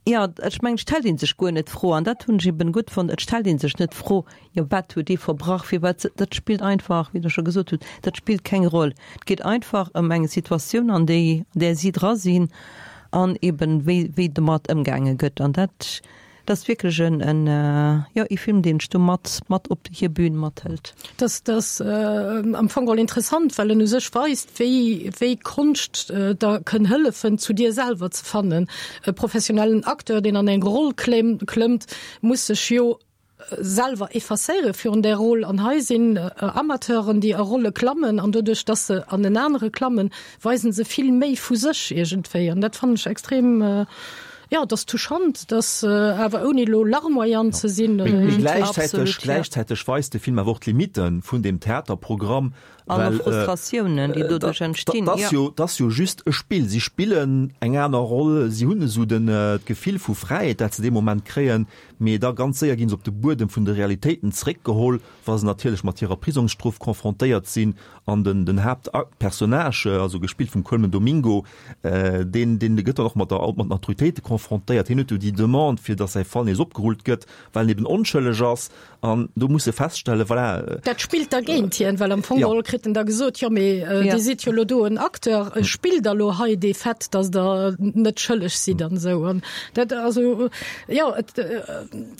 jo ech mengen et stellt ee sech guer net d'Fro an dat hunn ech eben gutt fonnt, et stellt ee sech net d'Fro, jo wat huet dee verbrach, firwat, dat spillt einfach, wéi Der scho gesot hutt, dat spillt keng Roll. Et geet einfach ëm eng Situatioun an déi an där si dra sinn an eben wéi wéi domat ëmgaange gëtt an dat. Dat ass wierklech en, en, jo, ee Film, deen dech do mat, mat op hir Bühn mathëlt. Dat ass am Fong geholl interessant, well en u sech weist, wéi, wéi Konscht der kënn hëllefen, zu dir selwer ze fannen. E professionellen Acteur, deen an eng Roll klëmmt, muss sech jo selwer effacéiere virun där Roll. An hei sinn Amateuren, déi a Rolle klammen, an doduerch, dass se an en anere klammen, weisen se vill méi vu sech iergendwéi. An dat fannen ech extrem, jo, et ass touchant, et ass awer ouni elo larmoyant ze sinn. Mee gläichzäiteg, gläichzäiteg weist de Film awer och d'Limitte vun deem Theaterprogramm, An och Frustratiounen, déi doduerch entstinn. Dat ass jo, dat ass jo just e Spill. Si spillen eng aner Roll, si hunn esou den, d'Gefill vu Fräiheet, dat se dee Moment kréien, mee da ganz séier gi se op de Buedem vun de Realitéiten zeréckgeholl, wa se natierlech mat hirer Prisongsstrof confrontéiert sinn an den, den Haaptpersonnage, also gespillt vum Colman Domingo, deen, deen gëtt dann och mat der, mat den Autoritéite confrontéiert. Hien huet jo déi Demande, fir datt säi Fall nees opgerullt gëtt, well en eben onschëlleg ass. An do muss e feststellen, voilà. Dat spillt da géint hien, well am Fong geholl kritt en da gesot, jo mee Dir sidd jo elo do en Acteur, spillt der elo hei dee Fait, datt Der net schëlleg sidd an esou. An dat, also jo, et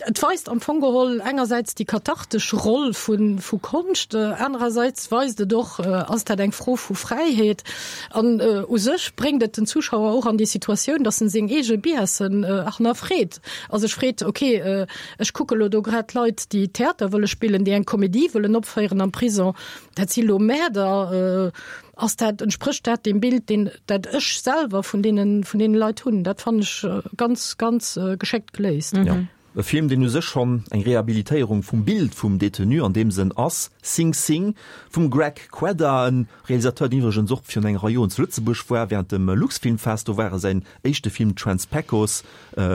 et weist am Fong geholl engersäits déi kathartesch Roll vu vu Konscht, anerersäits weist et och, ass dat eng Fro vu Fräiheet? An u sech bréngt et den Zuschauer och an déi Situatioun, datt en seng eege Biasen hannerfreet a sech freet, ok, ech kucke lo do grad Leit, déi Theater wëlle spillen, déi eng Komedie wëllen opféieren am Prison, dat si lo Mäerder, ass dat, entsprécht dat deem Bild, deen, dat ech selwer vun deenen, vun deene Leit hunn? Dat fannen ech ganz, ganz geschéckt geléist. Jo, e Film, deen u sech schonn eng Rehabilitéierung vum Bild vum Detenu an deem Sënn ass, Sing Sing vum Greg Kwedar, e Realisateur, deen iwwregens och virun enger Rei Joren zu Lëtzebuerg war, während dem Luxfilmfest, do war e säin éischte Film Trans-Pecos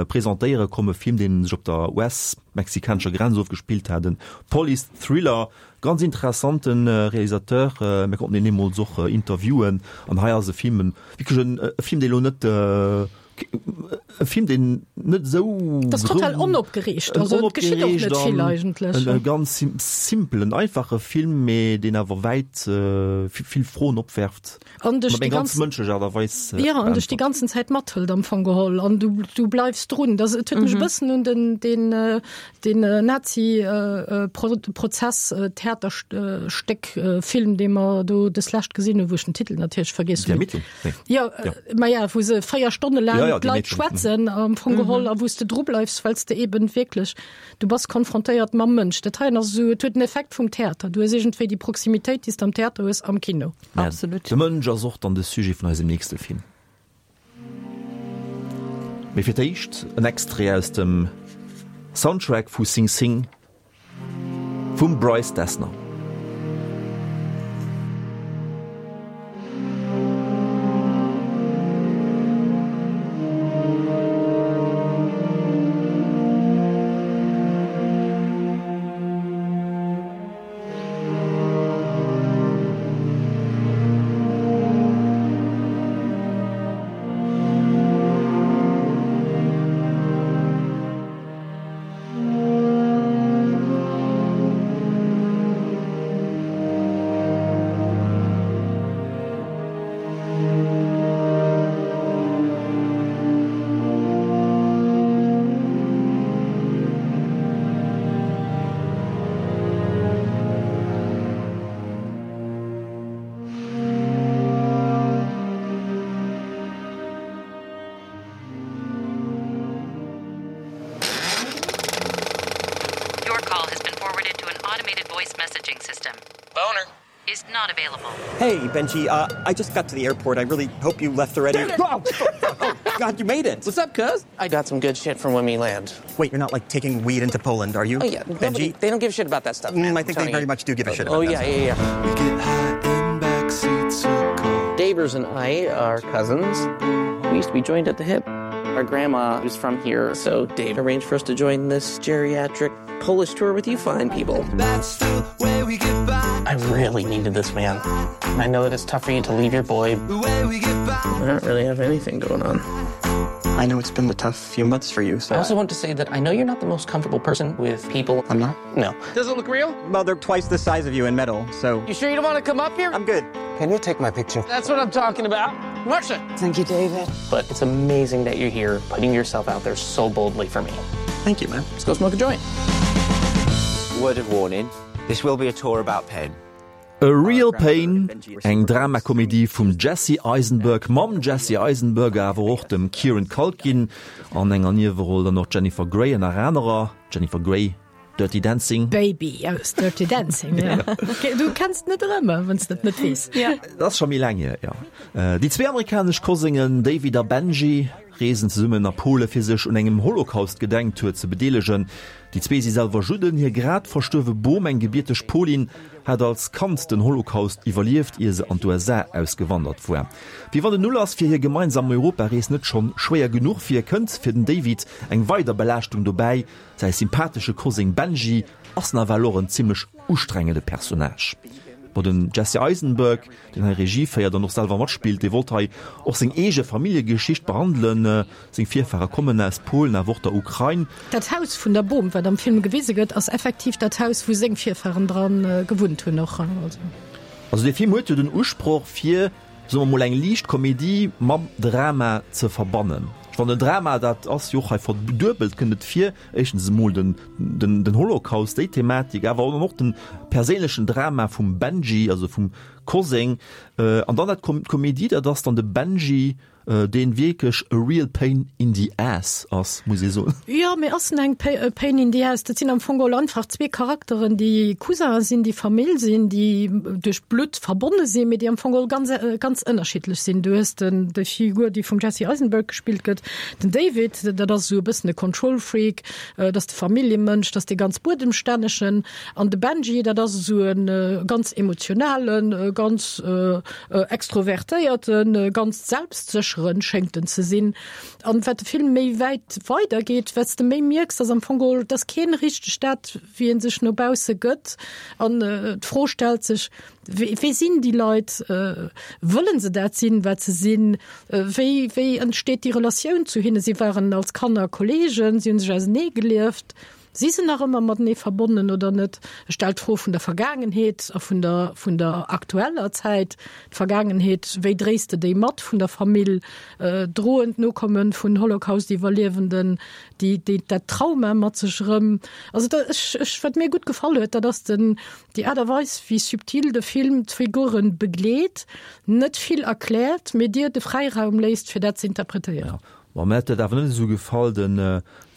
presentéiere komm, e Film, deen sech op der US-mexikanescher Grenz ofgespillt hat, e Police-Thriller. Ganz interessante Realisateur, mir konnten deen deemools och interviewen an hei ass e Film, wierklech e Film, dee lo net, e Film, deen net esou. Dat ass total onopgereegt, also et geschitt och net vill eigentlech. E ganz simpelen, einfache Film, mee deen awer wäit vill Froen opwerft. An dech Mat déi eng ganz ganz mënschlech Aart a Weis Ja, an dech déi ganzen Zäit mathëlt am Fong geholl an du, du bleifs drun. Das, et huet mech e bëssen un den, den, den Nazi Pro Prozess Theaterstéck Film, dee mer do deslescht gesinn hunn, wou ech den Titel natierlech vergiess Die hunn. Ermittlung? Nee. Ja, Ja. ma ja, wou se 4 Stonne laang Ja, ja, die d'Leit Ermittlung. schwätzen am Fong geholl a wou s de dru bleifs, well s de eben wierklech, du bass konfrontéiert mam Mënsch. Dat heien ass esou, et huet den Effekt vum Theater. Du hues iergendwéi déi Proximitéit, déi s de am Theater hues, am Kino. Mä Absolut. de Mënsch ass och dann de Sujet vun eisem nächste Film. Mee fir d'éischt en Extrait aus dem Soundtrack vu Sing Sing vum Bryce Dessner. Your call has been forwarded to an automated voice messaging system. Boner. Is not available. Hey, Benji, uh, I just got to the airport. I really hope you left already. Oh, oh, God, you made it. What's up, cuz? I got some good shit from when we land. Wait, you're not like taking weed into Poland, are you? Oh, yeah. Benji? Nobody, they don't give a shit about that stuff. Mm, I think they very much do give a shit about oh, that yeah, stuff. yeah, yeah. We get high in back seats of cars. Davers and I are cousins. We used to be joined at the hip. Our grandma was from here, so Dave arranged for us to join this geriatric Polish tour with you fine people. That's the way we get by. I really needed this man. I know that it's tough for you to leave your boy. The way we get by. I don't really have anything going on. I know it's been a tough few months for you, so I also want to say that I know you're not the most comfortable person with people. I'm not? No. Does it look real? Well, they're twice the size of you in metal, so You sure you don't want to come up here? I'm good. Can you take my picture? That's what I'm talking about. Marcia! Thank you, David. But it's amazing that you're here putting yourself out there so boldly for me. Thank you, man. Let's go smoke a joint. Word of warning, this will be a tour about pain. A Real Pain, eng Dramakomedie vum Jesse Eisenberg, mam Jesse Eisenberg awer och dem Kieran Culkin an enger Nieweroll, dann och d'Jennifer Grey ënner anerer. Jennifer Grey, Dirty Dancing. Baby aus Dirty Dancing, ja. Du kenns net erëm, wann s de et net weess. Dat ass scho méi laang hier, jo. Déi zwee amerikanesch Kosengen David a Benji reesen zesummen a Pole fir sech un engem Holocaust-Gedenktour ze bedeelegen. Déi zwee si selwer Judden. Hir grad verstuerwe Bom, eng gebierteg Polin, hat als Kand den Holocaust iwwerlieft, ier se an d'USA ausgewandert war. Wéi wann den Ulass fir hir gemeinsam Europarees net schonn schwéier genuch wier, kënnt fir den David eng weider Belaaschtung dobäi, Säi sympathesche Koseng Benji ass nawell och en zimmlech ustrengende Personnage. Bon, den Jesse Eisenberg, deen hei Regie féiert an och selwer matspillt, dee wollt hei och seng eege Familljegeschicht behandelen. Seng Virfahre kommen aus Polen, awer och der Ukrain. Dat Haus vun der Bom, wat am Film gewise gëtt, ass effektiv dat Haus, wou seng Virfahren dra gewunnt hunn och. Also dee Film huet jo den Usproch fir soe mer mol, eng liicht Komedie mam Drama ze verbannen. Ech fannen den Drama, dat ass jo och hei verduebelt, kënnt et vir, éischtens emol den, den, den Holocaust, déi Thematik, awer och den perséinlechen Drama vum Benji, also vum Koseng, an dann dat d'Komedie, dat ass dann de Benji, deen wierklech a real pain in the ass ass, muss ee soen. Jo, mee ass en eng pain in the ass? Dat sinn am Fong geholl einfach zwee Charakteren, déi Cousinen sinn, déi Famill sinn, déi duerch Blutt verbonne sinn, mee déi am Fong geholl ganz, ganz ënnerschiddlech sinn. Du hues den, déi Figur, déi vum Jesse Eisenberg gespillt gëtt, den David, dat ass esou e bëssen e Control Freak, dat ass de Familljemënsch, dat ass dee ganz Buedemstännegen. An de Benji, dat ass esou e ganz emotionalen, ganz Extrovertéierten, ganz selbstsécheren schéngt en ze sinn. An wat de Film méi wäit weider geet, wat s de méi mierks, dass am Fong geholl, dass keen richteg dat, wéi en sech no bausse gëtt. An d'Fro stellt sech, Wie sinn déi Leit? Wëllen se dat sinn, wat se sinn? Wéi, wéi entsteet déi Relatioun zu hinnen? Si waren als Kanner Kollegen, si hunn sech ausenee gelieft. Si se nach ëmmer matenee verbonnen oder net? E stellt d'Fro vun der Vergaangenheet a vun der, vun der aktueller Zäit. D'Vergaangenheet, wéi dréis de déi mat vun der Famill? Droen d'Nokomme vun Holocaust-Iwwerliewenden déi, déi, dat Trauma mat sech erëm? Also da, ech, ech, wat mir gutt gefall huet, dat ass den, déi Aart a Weis, wéi subtil de Film d'Figuren begleet, net vill erkläert, mee dir de Fräiraum léisst, fir dat ze interpretéieren. Bon, mir huet dat awer net esou gefall, den,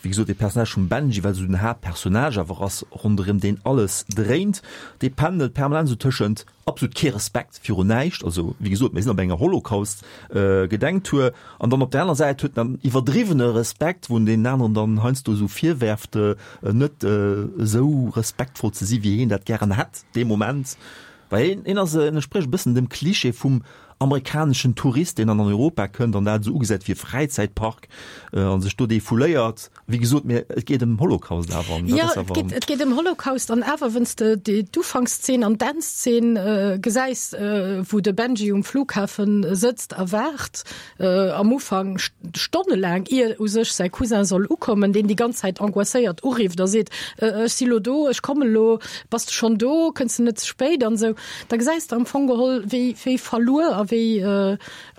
wéi gesot, dee Personnage vum Benji, well esou den Haaptpersonnage awer ass, ronderëm deen alles dréint, dee pendelt permanent esou tëschent absolut kee Respekt virun näischt, also wéi gesot, mir sinn op enger Holocaust-Gedenktour, an dann op der aner Säit huet en dann iwwerdriwwene Respekt, wou en deenen aneren dann heiansdo esou virwerft, net esou respektvoll ze si wéi hien dat gären hätt dee Moment. Well hien, hien ass, en entsprécht e bëssen dem Klischee vum amerikaneschen Tourist, deen dann an Europa kënnt an dat esou ugesäit wéi e Fräizäitpark a sech do defouléiert. Wéi gesot, mä et geet ëm Holocaust awer. An dat Jo, ass et awer. geet, et geet ëm Holocaust an awer, wenn's de déi d'Ufankszeen an d'Endzeen gesäis, wou de Benji um Flughafen sëtzt a waart, am Ufank stonnelaang, ier u sech säi Cousin soll ukommen, deen déi ganz Zäit angoisséiert urifft a seet, Ech si lo do, ech komme lo, bass de schonn do, kënns de net ze spéit an esou, da gesäis de am Fong geholl, wéi wéi verluer a wéi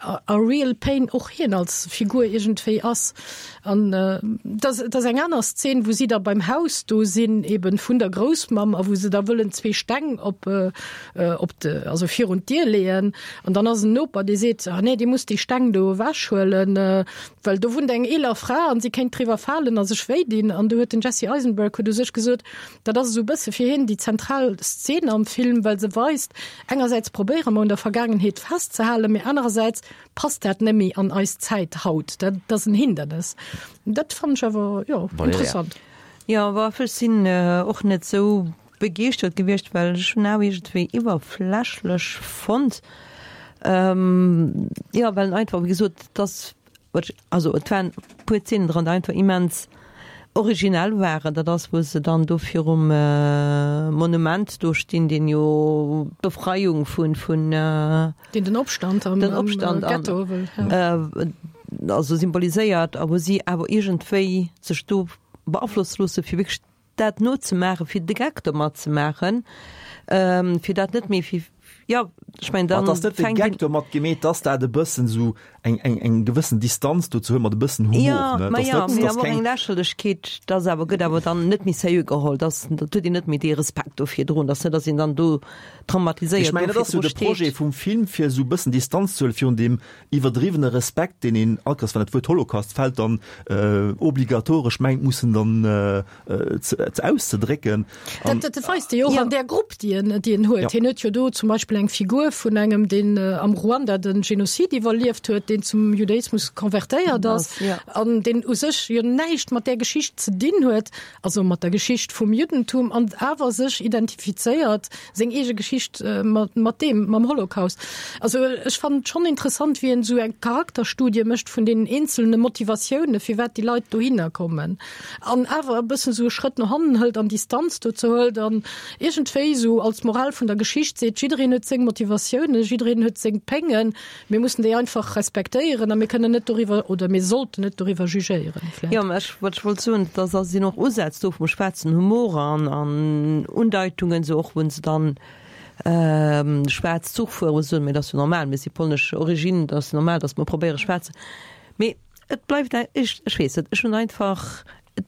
a real pain och hien als Figur iergendwéi ass. An et ass et ass eng aner Szen, wou si da beim Haus do sinn, eben vun der Groussmamm, a wou se da wëllen zwee Steng op op de, also virun d'Dier leeën an dann ass en Noper, dee seet, ah nee, Dir musst déi Steng do ewech huelen, well do wunnt eng eeler Fra an si kéint driwwer falen a sech wéi dinn. An do huet den Jesse Eisenberg huet u sech gesot, dat ass esou e bësse fir hien déi zentral Szen am Film, well se weist, engersäits probéiere mer un der Vergaangenheet festzehalen, mee anerersäits passt dat net méi an eis Zäit haut, dat ass en Hindernes. Dat fannen ech awer, jo, interessant. Jo, awer ech sinn och net esou Begeeschtert gewiescht, well ech hunn awer iergendwéi iwwerflächlech fonnt, jo, well en einfach, wéi gesot, et ass, also et waren e puer Zeenen dran, déi einfach immens originell waren. Dat ass, wou se dann do virum Monument do stinn, deen jo d'Befreiung vun, vun. Deen den Opstand am Ghetto wëll, jo. Also symboliséiert a wou si awer iergendwéi sech do beaflosse loosse fir wierklech dat nozemaachen, fir de Geck domat ze maachen, fir dat net méi fir. Jo, ech mengen, dann Ass net de fänkt Gag een. domat gemeet, dass dat e bëssen esou eng, eng, eng gewëssen Distanz dozou huet mat e bëssen Humor, Jo, ne? ma Dass jo, net, mee dass awer och keng. eng Lächerlechkeet, dass awer, gëtt awer dann net méi seriö geholl, dass, dat huet een net méi dee Respekt do virdrun, dass net, dass een dann do Ech traumatiséiert mengen, do dat ass jo virdru de Projet steet. vum Film, fir esou e bëssen Distanz ze huelen virun deem iwwerdriwwene Respekt, deen een all Kéiers, wann dat Wuert Holocaust fält, dann obligatoresch mengt mussen dann ze auszedrécken. Dat, dat weist e jo och an där Grupp, déi en, déi en huet. Hien huet jo do zum Beispill eng Figur vun engem, deen am Ruanda de Genozid iwwerlieft huet, deen zum Judaismus konvertéiert ass an deen u sech jo näischt mat där Geschicht ze dinn huet, also mat der Geschicht vum Juddentum, an awer sech identifizéiert, seng eege Geschicht mat, mat deem, mam Holocaust. Also ech fannen et schonn interessant, wéi en esou eng Charakterstudie mécht vun deenen eenzelne Motivatioune firwat déi Leit dohinner kommen. An awer e bëssen esou e Schrëtt no hannen hëlt an Distanz dozou hëlt an iergendwéi esou als Moral vun der Geschicht seet, jiddereen huet seng Motivatiounen, jiddereen huet seng Péngen, mir mussen déi einfach respektéieren a mir kënnen net doriwwer oder mir sollten net doriwwer jugéieren vläicht. Jo, mä ech, wat ech wollt soen, dass ass sinn och Usätz do vum schwaarzen Humor an an Undeitungen, esou och wou se dann schwaarz Zuch fueren, wou se soen, mä dat ass jo normal, mir si polnesch Origine, dat ass normal, dass mer probéiere schwaarz, mee Et bleift eng, ech, ech weess net, ech hunn einfach, et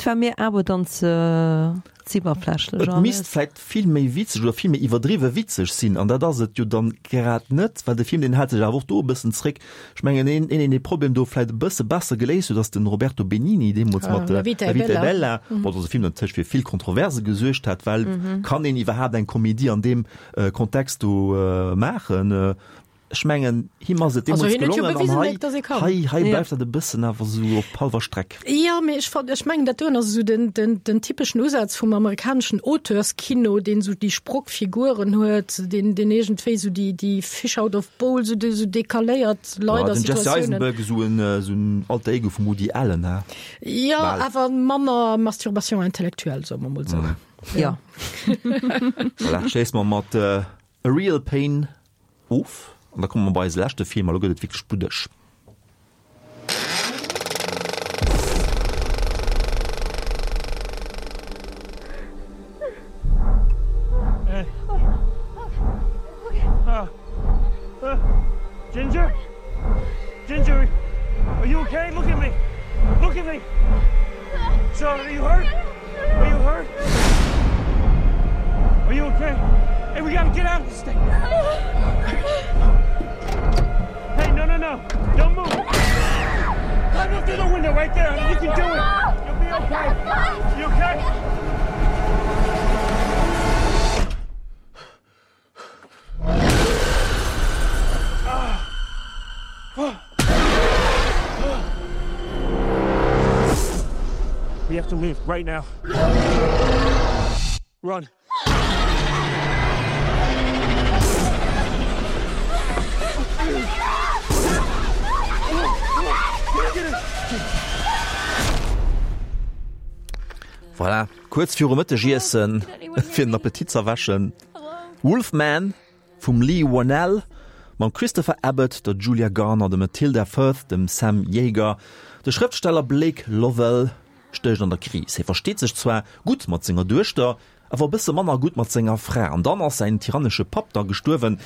war mir awer dann ze, ze iwwerflächlech Et misst alles. vläicht vill méi witzeg oder vill méi iwwerdriwwe witzeg sinn, an dat ass et jo dann grad net, well de Film, deen hält sech awer och do e bëssen zréck. Ech mengen, een, een, deen dee Problem do vläicht e bësse besser geléist huet, ass de Roberto Benigni deemools mat La vita è La vita è bella. bella, bon, dat ass e Film, deen natierlech fir vill Kontroverse gesuergt hat, well kann een iwwerhaapt eng Komedie an deem Kontext do maachen? Ech mengen, him ass et Also deemools hien huet jo gelongen an bewisen, hei, datt e kann. hei, hei Ja. bleift dat e bëssen awer esou op hallwer Streck. Jo, mee ech fand, ech mengen, dat doen ass esou den, den, den typeschen Usaz vum amerikaneschen Auteurskino, deen esou déi Sprockfiguren huet, deen, deen iergendwéi esou déi, déi Fish out of bowl, esou déi, esou decaléiert Leit Ja, a den Jesse Situatiounen. Eisenberg, esou en, esou en Alter Ego vum Woody Allen, he? Jo, Bal. awer manner Masturbation intellectuelle, soe mer mol esou. Ja. Voilà, schléisse mer mat A Real Pain Of an da komme mer bei eise leschte Film, a lo gëtt et wierklech bluddeg. Ginger? Ginger, are you okay? Look at me. Look at me. So, are you hurt? Are you hurt? Are you okay? Hey, we gotta get out of this thing. Hey, no, no, no. Don't move. Climb up through the window right there. You can do it. You'll be okay. You okay? We have to leave right now. Run. Voilà, kuerz virum Mëttegiessen, fir den Appetit z'erwächen. Wolf Man vum Leigh Whannell mam Christopher Abbott, der Julia Garner, dem Matilda Firth, dem Sam Jaeger. De Schrëftsteller Blake Lovell stécht an der Kris. Hie versteet sech zwar gutt mat senger Duechter, awer e bësse manner gutt mat senger Fra. An dann ass säin tyrannesche Papp da gestuerwen,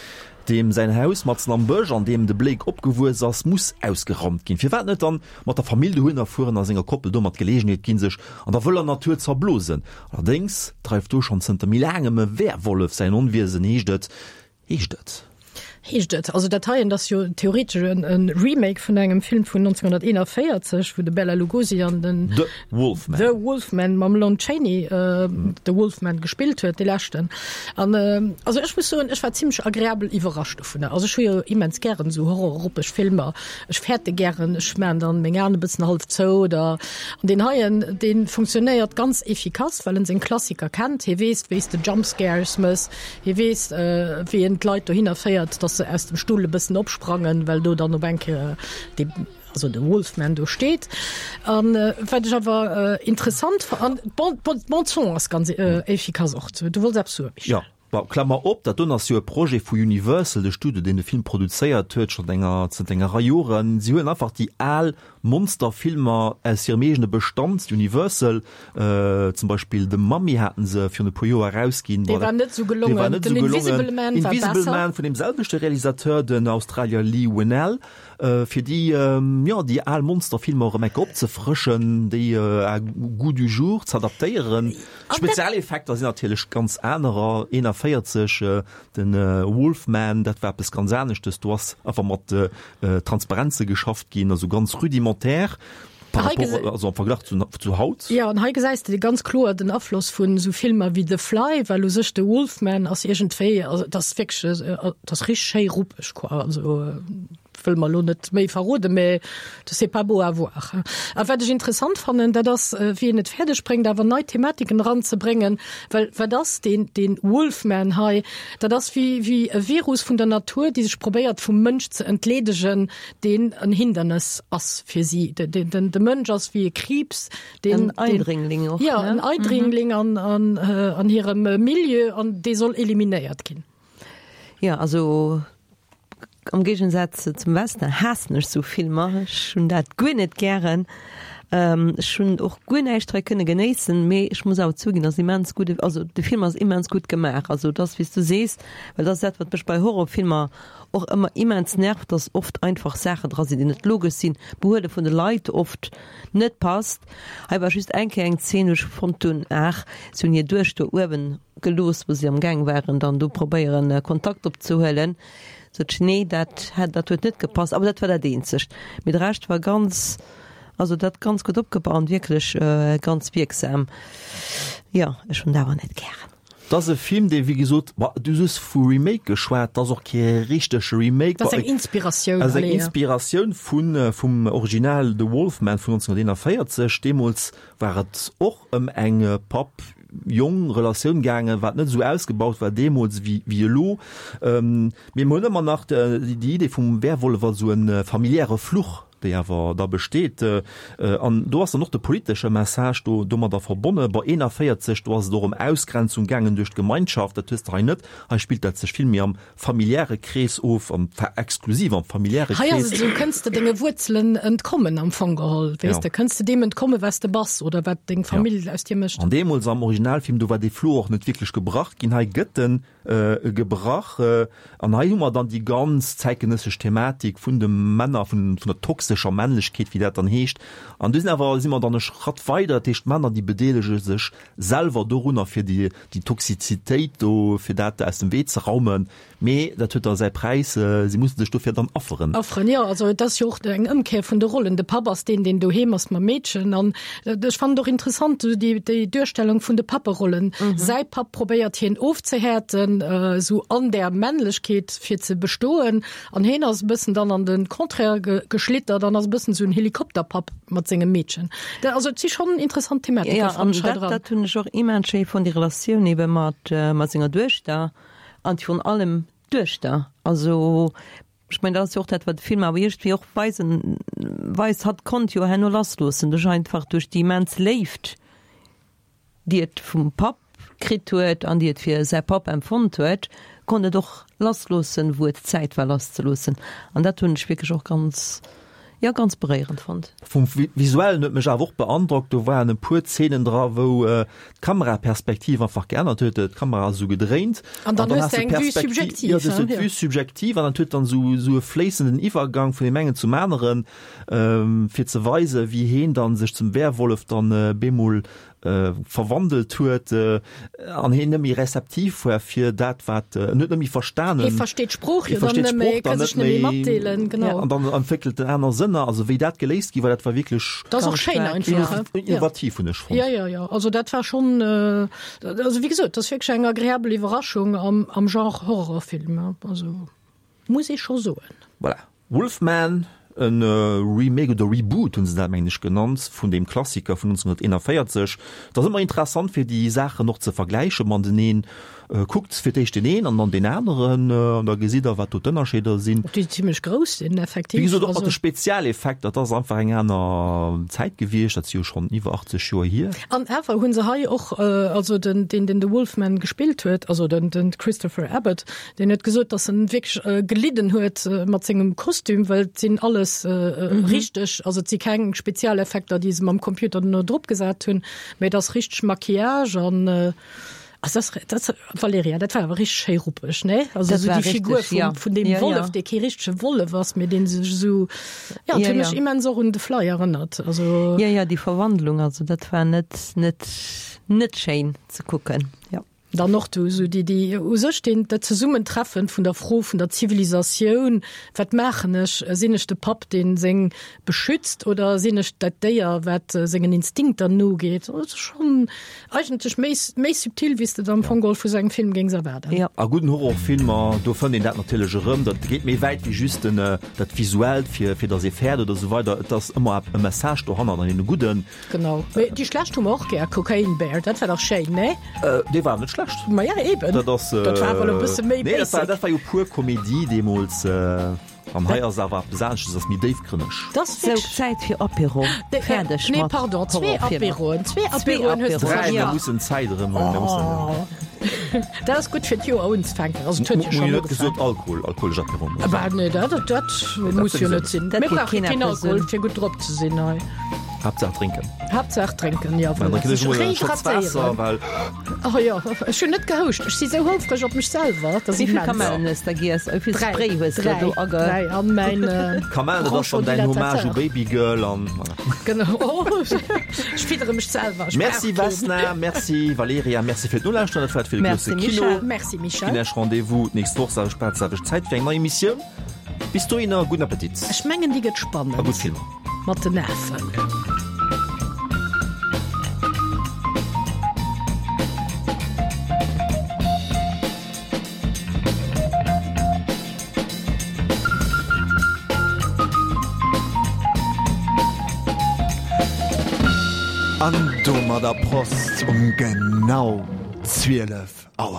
deem säin Haus matzen am Bësch, an deem de Blake opgewuess ass, muss ausgeraumt ginn. Firwat net dann mat der Famill dohinner fueren a senger Koppel domat d'Geleegenheet ginn, sech an der wëller Natur z'erblosen? Allerdéngs dreift do schonn zënter méi laangem e Werwollef säin Onwiesen, heescht et. Heescht et. Heescht et. Also dat heien ass jo theoretesch e Remake vun engem Film vun 1941, wou de Bela Lugosi an den The Wolfman, The Wolfman mam Lon Chaney de Wolfman gespillt huet, dee leschten. An also ech muss soen, ech war zimlech agreabel iwwerrascht dovunner. Also ech hu jo immens gären esou horrorropeg Filmer. Ech fäerte gären, ech maachen dann meng Aen e bëssen hallef zou oder an deen heien, dee funktionéiert ganz efficace, well en seng Klassiker kennt. Hie weess, wéi s de Jumpscares mëss, hie weess, wéi en d'Leit dohinner féiert, dass se aus dem Stull e bëssen opsprangen, well do dann op eng Kéier dee, also de Wolfman do steet. An wat ech awer interessant, an d'Bande-son ass ganz efficace och. Du wollts eppes soen, Michel? Jo. Bon, Klammer op, dat doen ass jo e Projet vu Universal, de Studio, deen de Film produzéiert huet, schonn enger, zënter enger Rei Joren. Si huelen einfach déi al Monsterfilmer aus hirem eegene Bestand, Universal, zum Beispill The Mummy haten se virun e puer Joer erausginn. Dee war net esou gelongen. Dee war net esou Den gelongen. Invisible Man war Invisible besser. Man vun deem selwechte Realisateur, den Australier Leigh Whannell, fir déi, jo, déi al Monsterfilmer erëm eng Kéier opzefrëschen, déi à goût du jour z'adaptéieren. D'Spezialeffekter sinn natierlech ganz anerer. 41, den Wolfman, dat war eppes ganz aneschtes. Do ass einfach mat Transparenze geschafft ginn, also ganz rudimentär par rapport, also am Verglach zu, zu haut. Jo, an hei gesäis de ganz kloer den Afloss vun esou Filmer wéi The Fly, well u sech de Wolfman ass iergendwéi, also et ass wierklech, et ass richteg schéi ruppeg quoi, also wëll mer elo net méi verroden, mä c'est pas beau à voir. A wat ech interessant fannen, dat ass wéi en et fäerdeg bréngt awer nei Thematiken eranzebréngen, well wat ass deen, deen Wolfman hei? Dat ass wéi wéi e Virus vun der Natur, déi sech probéiert vum Mënsch ze entleedegen, deen en Hindernes ass fir si. De, de, den, de Mënsch ass wéi e Kriibs, deen, en Eindringling och, ja, en Eindringling an, an, an hirem Milieu an dee soll eliminéiert ginn. Ja, also am Géigensaz zum Western haassen ech sou Filmer. Ech hunn dat guer net gären. Ech hunn och guer näischt hei kënne genéissen, mee ech muss awer zouginn, ass immens gutt, also de Film ass immens gutt gemaach. Also et ass wéi s du sees, well dat ass dat wat mech bei Horrorfilmer och ëmmer immens nervt, dass oft einfach Saachen dra sinn, déi net logesch sinn, d'Behuele vun de Leit oft net passt. Hei war just eng Kéier eng Zeen, wou ech fonnt hunn, ach, si hunn hir Duechter uewen gelooss, wou si am Gaang waren dann do probéieren Kontakt opzehuelen, sot ech, nee, dat hätt, dat huet net gepasst. Awer dat war dat eenzegt. Mee de Rescht war ganz, also dat ganz gutt opgebaut an wierklech ganz wierksam. Jo, ech hunn et awer net gären. Et ass e Film, dee wéi gesot, ma du hues vu Remake geschwat, et ass och kee richtege Remake. Dat ass eng Inspiratioun. Ass eng Inspiratioun vun, vum Original The Wolf Man vun 1941. Deemools war et och ëm eng Papp Jong-Relatioun gaangen, wat net esou ausgebaut war deemools wéi elo. Mee mer hunn ëmmer nach déi Idee vum Werwollef als esou e familiäre Fluch, déi awer da besteet. An do ass dann och de politesche Message do domadder verbonne. Bon, 41, do ass et och ëm Ausgrenzung gaangen duerch d'Gemeinschaft. Dat hues de hei net. Hei spillt dat sech vill méi am familiäre Krees of, an zwar exklusiv am familiäre Hei ass Krees. et esou, kënns de denge Wuerzelen entkommen am Fong geholl, weess Ja. de, kënns de deem entkommen, wat s de bass oder wat deng Ja. Famill aus dir mécht. An deemools am Originalfilm, do war dee Fluch och net wierklech gebrach ginn. Hei gëtt en gebrach. An hei hu mer dann déi ganz zäitgenëssesch Thematik vun de Männer, vun vun der toxescher Männlechkeet, wéi dat dann heescht. An do sinn awer, si mer dann e Schratt weider, dat heescht d'Männer, déi bedeelege sech selwer dorunner, fir déi déi Toxizitéit do, fir dat aus dem Wee ze raumen, mee dat huet da säi Präis, si musse sech dofir dann afferen. Afferen, jo. Also et ass jo och eng Ëmkéier vun de Rollen. De Papp ass deen, deen doheem ass mam Meedchen. An ech fannen et och interessant, esou déi, déi Duerstellung vun de Papperollen. Säi Papp probéiert hien ofzehäerten, esou an där Männlechkeet fir ze bestoen. An hien ass e bëssen dann an de Contraire geschlittert an ass e bëssen esou en Helikopterpapp mat sengem Meedchen. Dat, also et si schonn interessant Thematike Ja, fannen an ech hei dat, dran. dat hunn ech och immens schéi fonnt, déi Relatioun ebe mat, mat senger Duechter an virun allem d'Duechter. Also ech mengen, dat ass jo och dat, wat de Film awer iergendwéi och weisen, weist, hatt konnt jo herno lassloossen duerch einfach duerch déi immens Léift, déi et vum Papp kritt huet an déi et fir säi Papp empfonnt huet, konnt et och lassloossen, wou et Zäit war lasszeloossen. An dat hunn ech wierklech och ganz, jo, ganz beréierend fonnt. Vum Visuellen huet mech awer och beandrockt, do waren e puer Zeenen dra wou d'Kameraperspektiv einfach geännert huet, d'Kamera ass esou gedréint an dann hues de eng Vue subjective, jo, du hues d'Vue subjective an dat huet dann esou e fléissenden Iwwergang vun deem engen zum aneren, fir ze weisen, wéi heen dann sech zum Werwollef dann bemol verwandelt huet an heen net méi rezeptiv war fir dat wat en huet net méi verstanen. Hee versteet d'Sprooch jo dann net méi, ka sech net méi matdeelen, genau. An dann entwéckelt en aner Sënner. Also wéi dat geléist gi war, dat war wierklech Dat ass och schéin einfach, innovativ hunn ech fonnt. Jo, jo, jo, also dat war schonn, also wéi gesot, dat ass wierklech eng agreabel Iwwerraschung am Genre Horrorfilm, also muss ee scho soen. Voilà, Wolfman. E Remake oder Reboot hunn se dat mengen ech genannt, vun deem Klassiker vun 1941. Et ass ëmmer interessant fir déi Saachen och ze vergläiche mateneen. Kuckt fir d'éischt deen een an dann deen aneren an da gesitt der wat do d'Ënnerscheeder sinn. Déi zimlech grouss sinn effektiv. Wéi gesot och mat de Spezialeffekter, dat ass einfach eng aner Zäit gewiescht, dat si jo schonn iwwer 80 Joer hier. An awer hu se hei och, also den deen den de Wolfman gespillt huet, also den den Christopher Abbott, deen huet gesot, datt en wierklech gelidden huet mat sengem Kostüm, well et sinn alles richteg, also et si keng Spezialeffekter déi se mam Computer duerno drop gesat hunn, mä et ass richteg Maquillage an Also das, das, Valeria, dat war awer richteg schéi ruppeg, ne? Also Dat so war déi Figur richteg, vum, ja. vun deem Ja, Wollef, ja. dee kee richtege Wollef ass, mee dee sech esou, ja, Ja, huet mech ja. immens och un The Fly erënnert. Also. Ja, ja, déi Verwandlung, also dat war net, net, net schéin ze kucken, ja. Dann och du esou déi, déi u sech deen, dat Zesummentreffen vun der Fro vun der Zivilisatioun, wat maachen ech, sinn ech de Papp, dee seng beschützt oder sinn ech dat Déier, wat sengen Instinkter nogeet? Dat ass schonn Eigentlech méi, méi subtil, wéi s de et am Fong geholl vu sou engem Film géings erwaarden. Ja. A gudden Horrorfilmer, do fënnt een dat natierlech erëm. Dat geet méi wäit wéi just den, dat Visuellt, fir, fir datt ee fäert oder esou weider. Et ass ëmmer e Message dohannert an een gudden. Genau. Mee déi schlecht hu mer och gär. Cocaine Bear, dat war dach schéin, nee? Dee war net schlecht. Ma ja, eben. Dat ass. Dat war awer elo e bësse méi Nee, dat war, basic. dat war jo pur Komedie deemools. An hei ass awer eppes anesches, ass méi déifgrënneg. Dass Sou, Zäit fir Apéro. Fäerdeg Nee, mat pardon, zwee Horrorfilmer. Apéroen. Zwee Zwee Apéroen hues de Apéroen, Dräi, mir ja. mussen d'Zäit erëm hunn. Mir mussen. Dat ass gutt fir d'Joer unzefänken. Also, et huet jo Mir hunn schonn net gesot ugefaangen. Alkohol, alkoholesch Apéroen. Bah, nee, dat, dat muss jo net sinn. Dat Mir geet brauche keen keen eppes Alkohol, un. fir gutt drop ze sinn hei. Haaptsaach drénken. Haaptsaach drénken, ja, Mä voilà. drénken ech Sech emol e Schotz Waasser, rehydratéieren. well. Oh jo, ech hunn net gehouscht. Ech si sou houfreg op mech selwer. Dat ass Wéi vill immens. Kamellen hues de giess? Wéi vill Dräi. Spray hues de Dräi. do age. Dräi an mäin Kamellen, dat ass dann däin Hommage u Babygirl an voilà. Genau. Oh, ech fiddere mech selwer. Ech Merci brauch keen. Vesna, merci Valerija, merci fir d'Nolauschteren. Dat war et fir de Merci grousse Kino. Michel. Merci Michel. Ginn Iech Rendez-vous d'nächst Woch, selwecht Plaz, selwecht Zäit fir eng nei Emissioun. Bis dohinner, gudden Appetit. Ech mengen, déi gëtt spannend. A gutt Filmer. Mat den Afen. An domadder Prost um genau 12 Auer.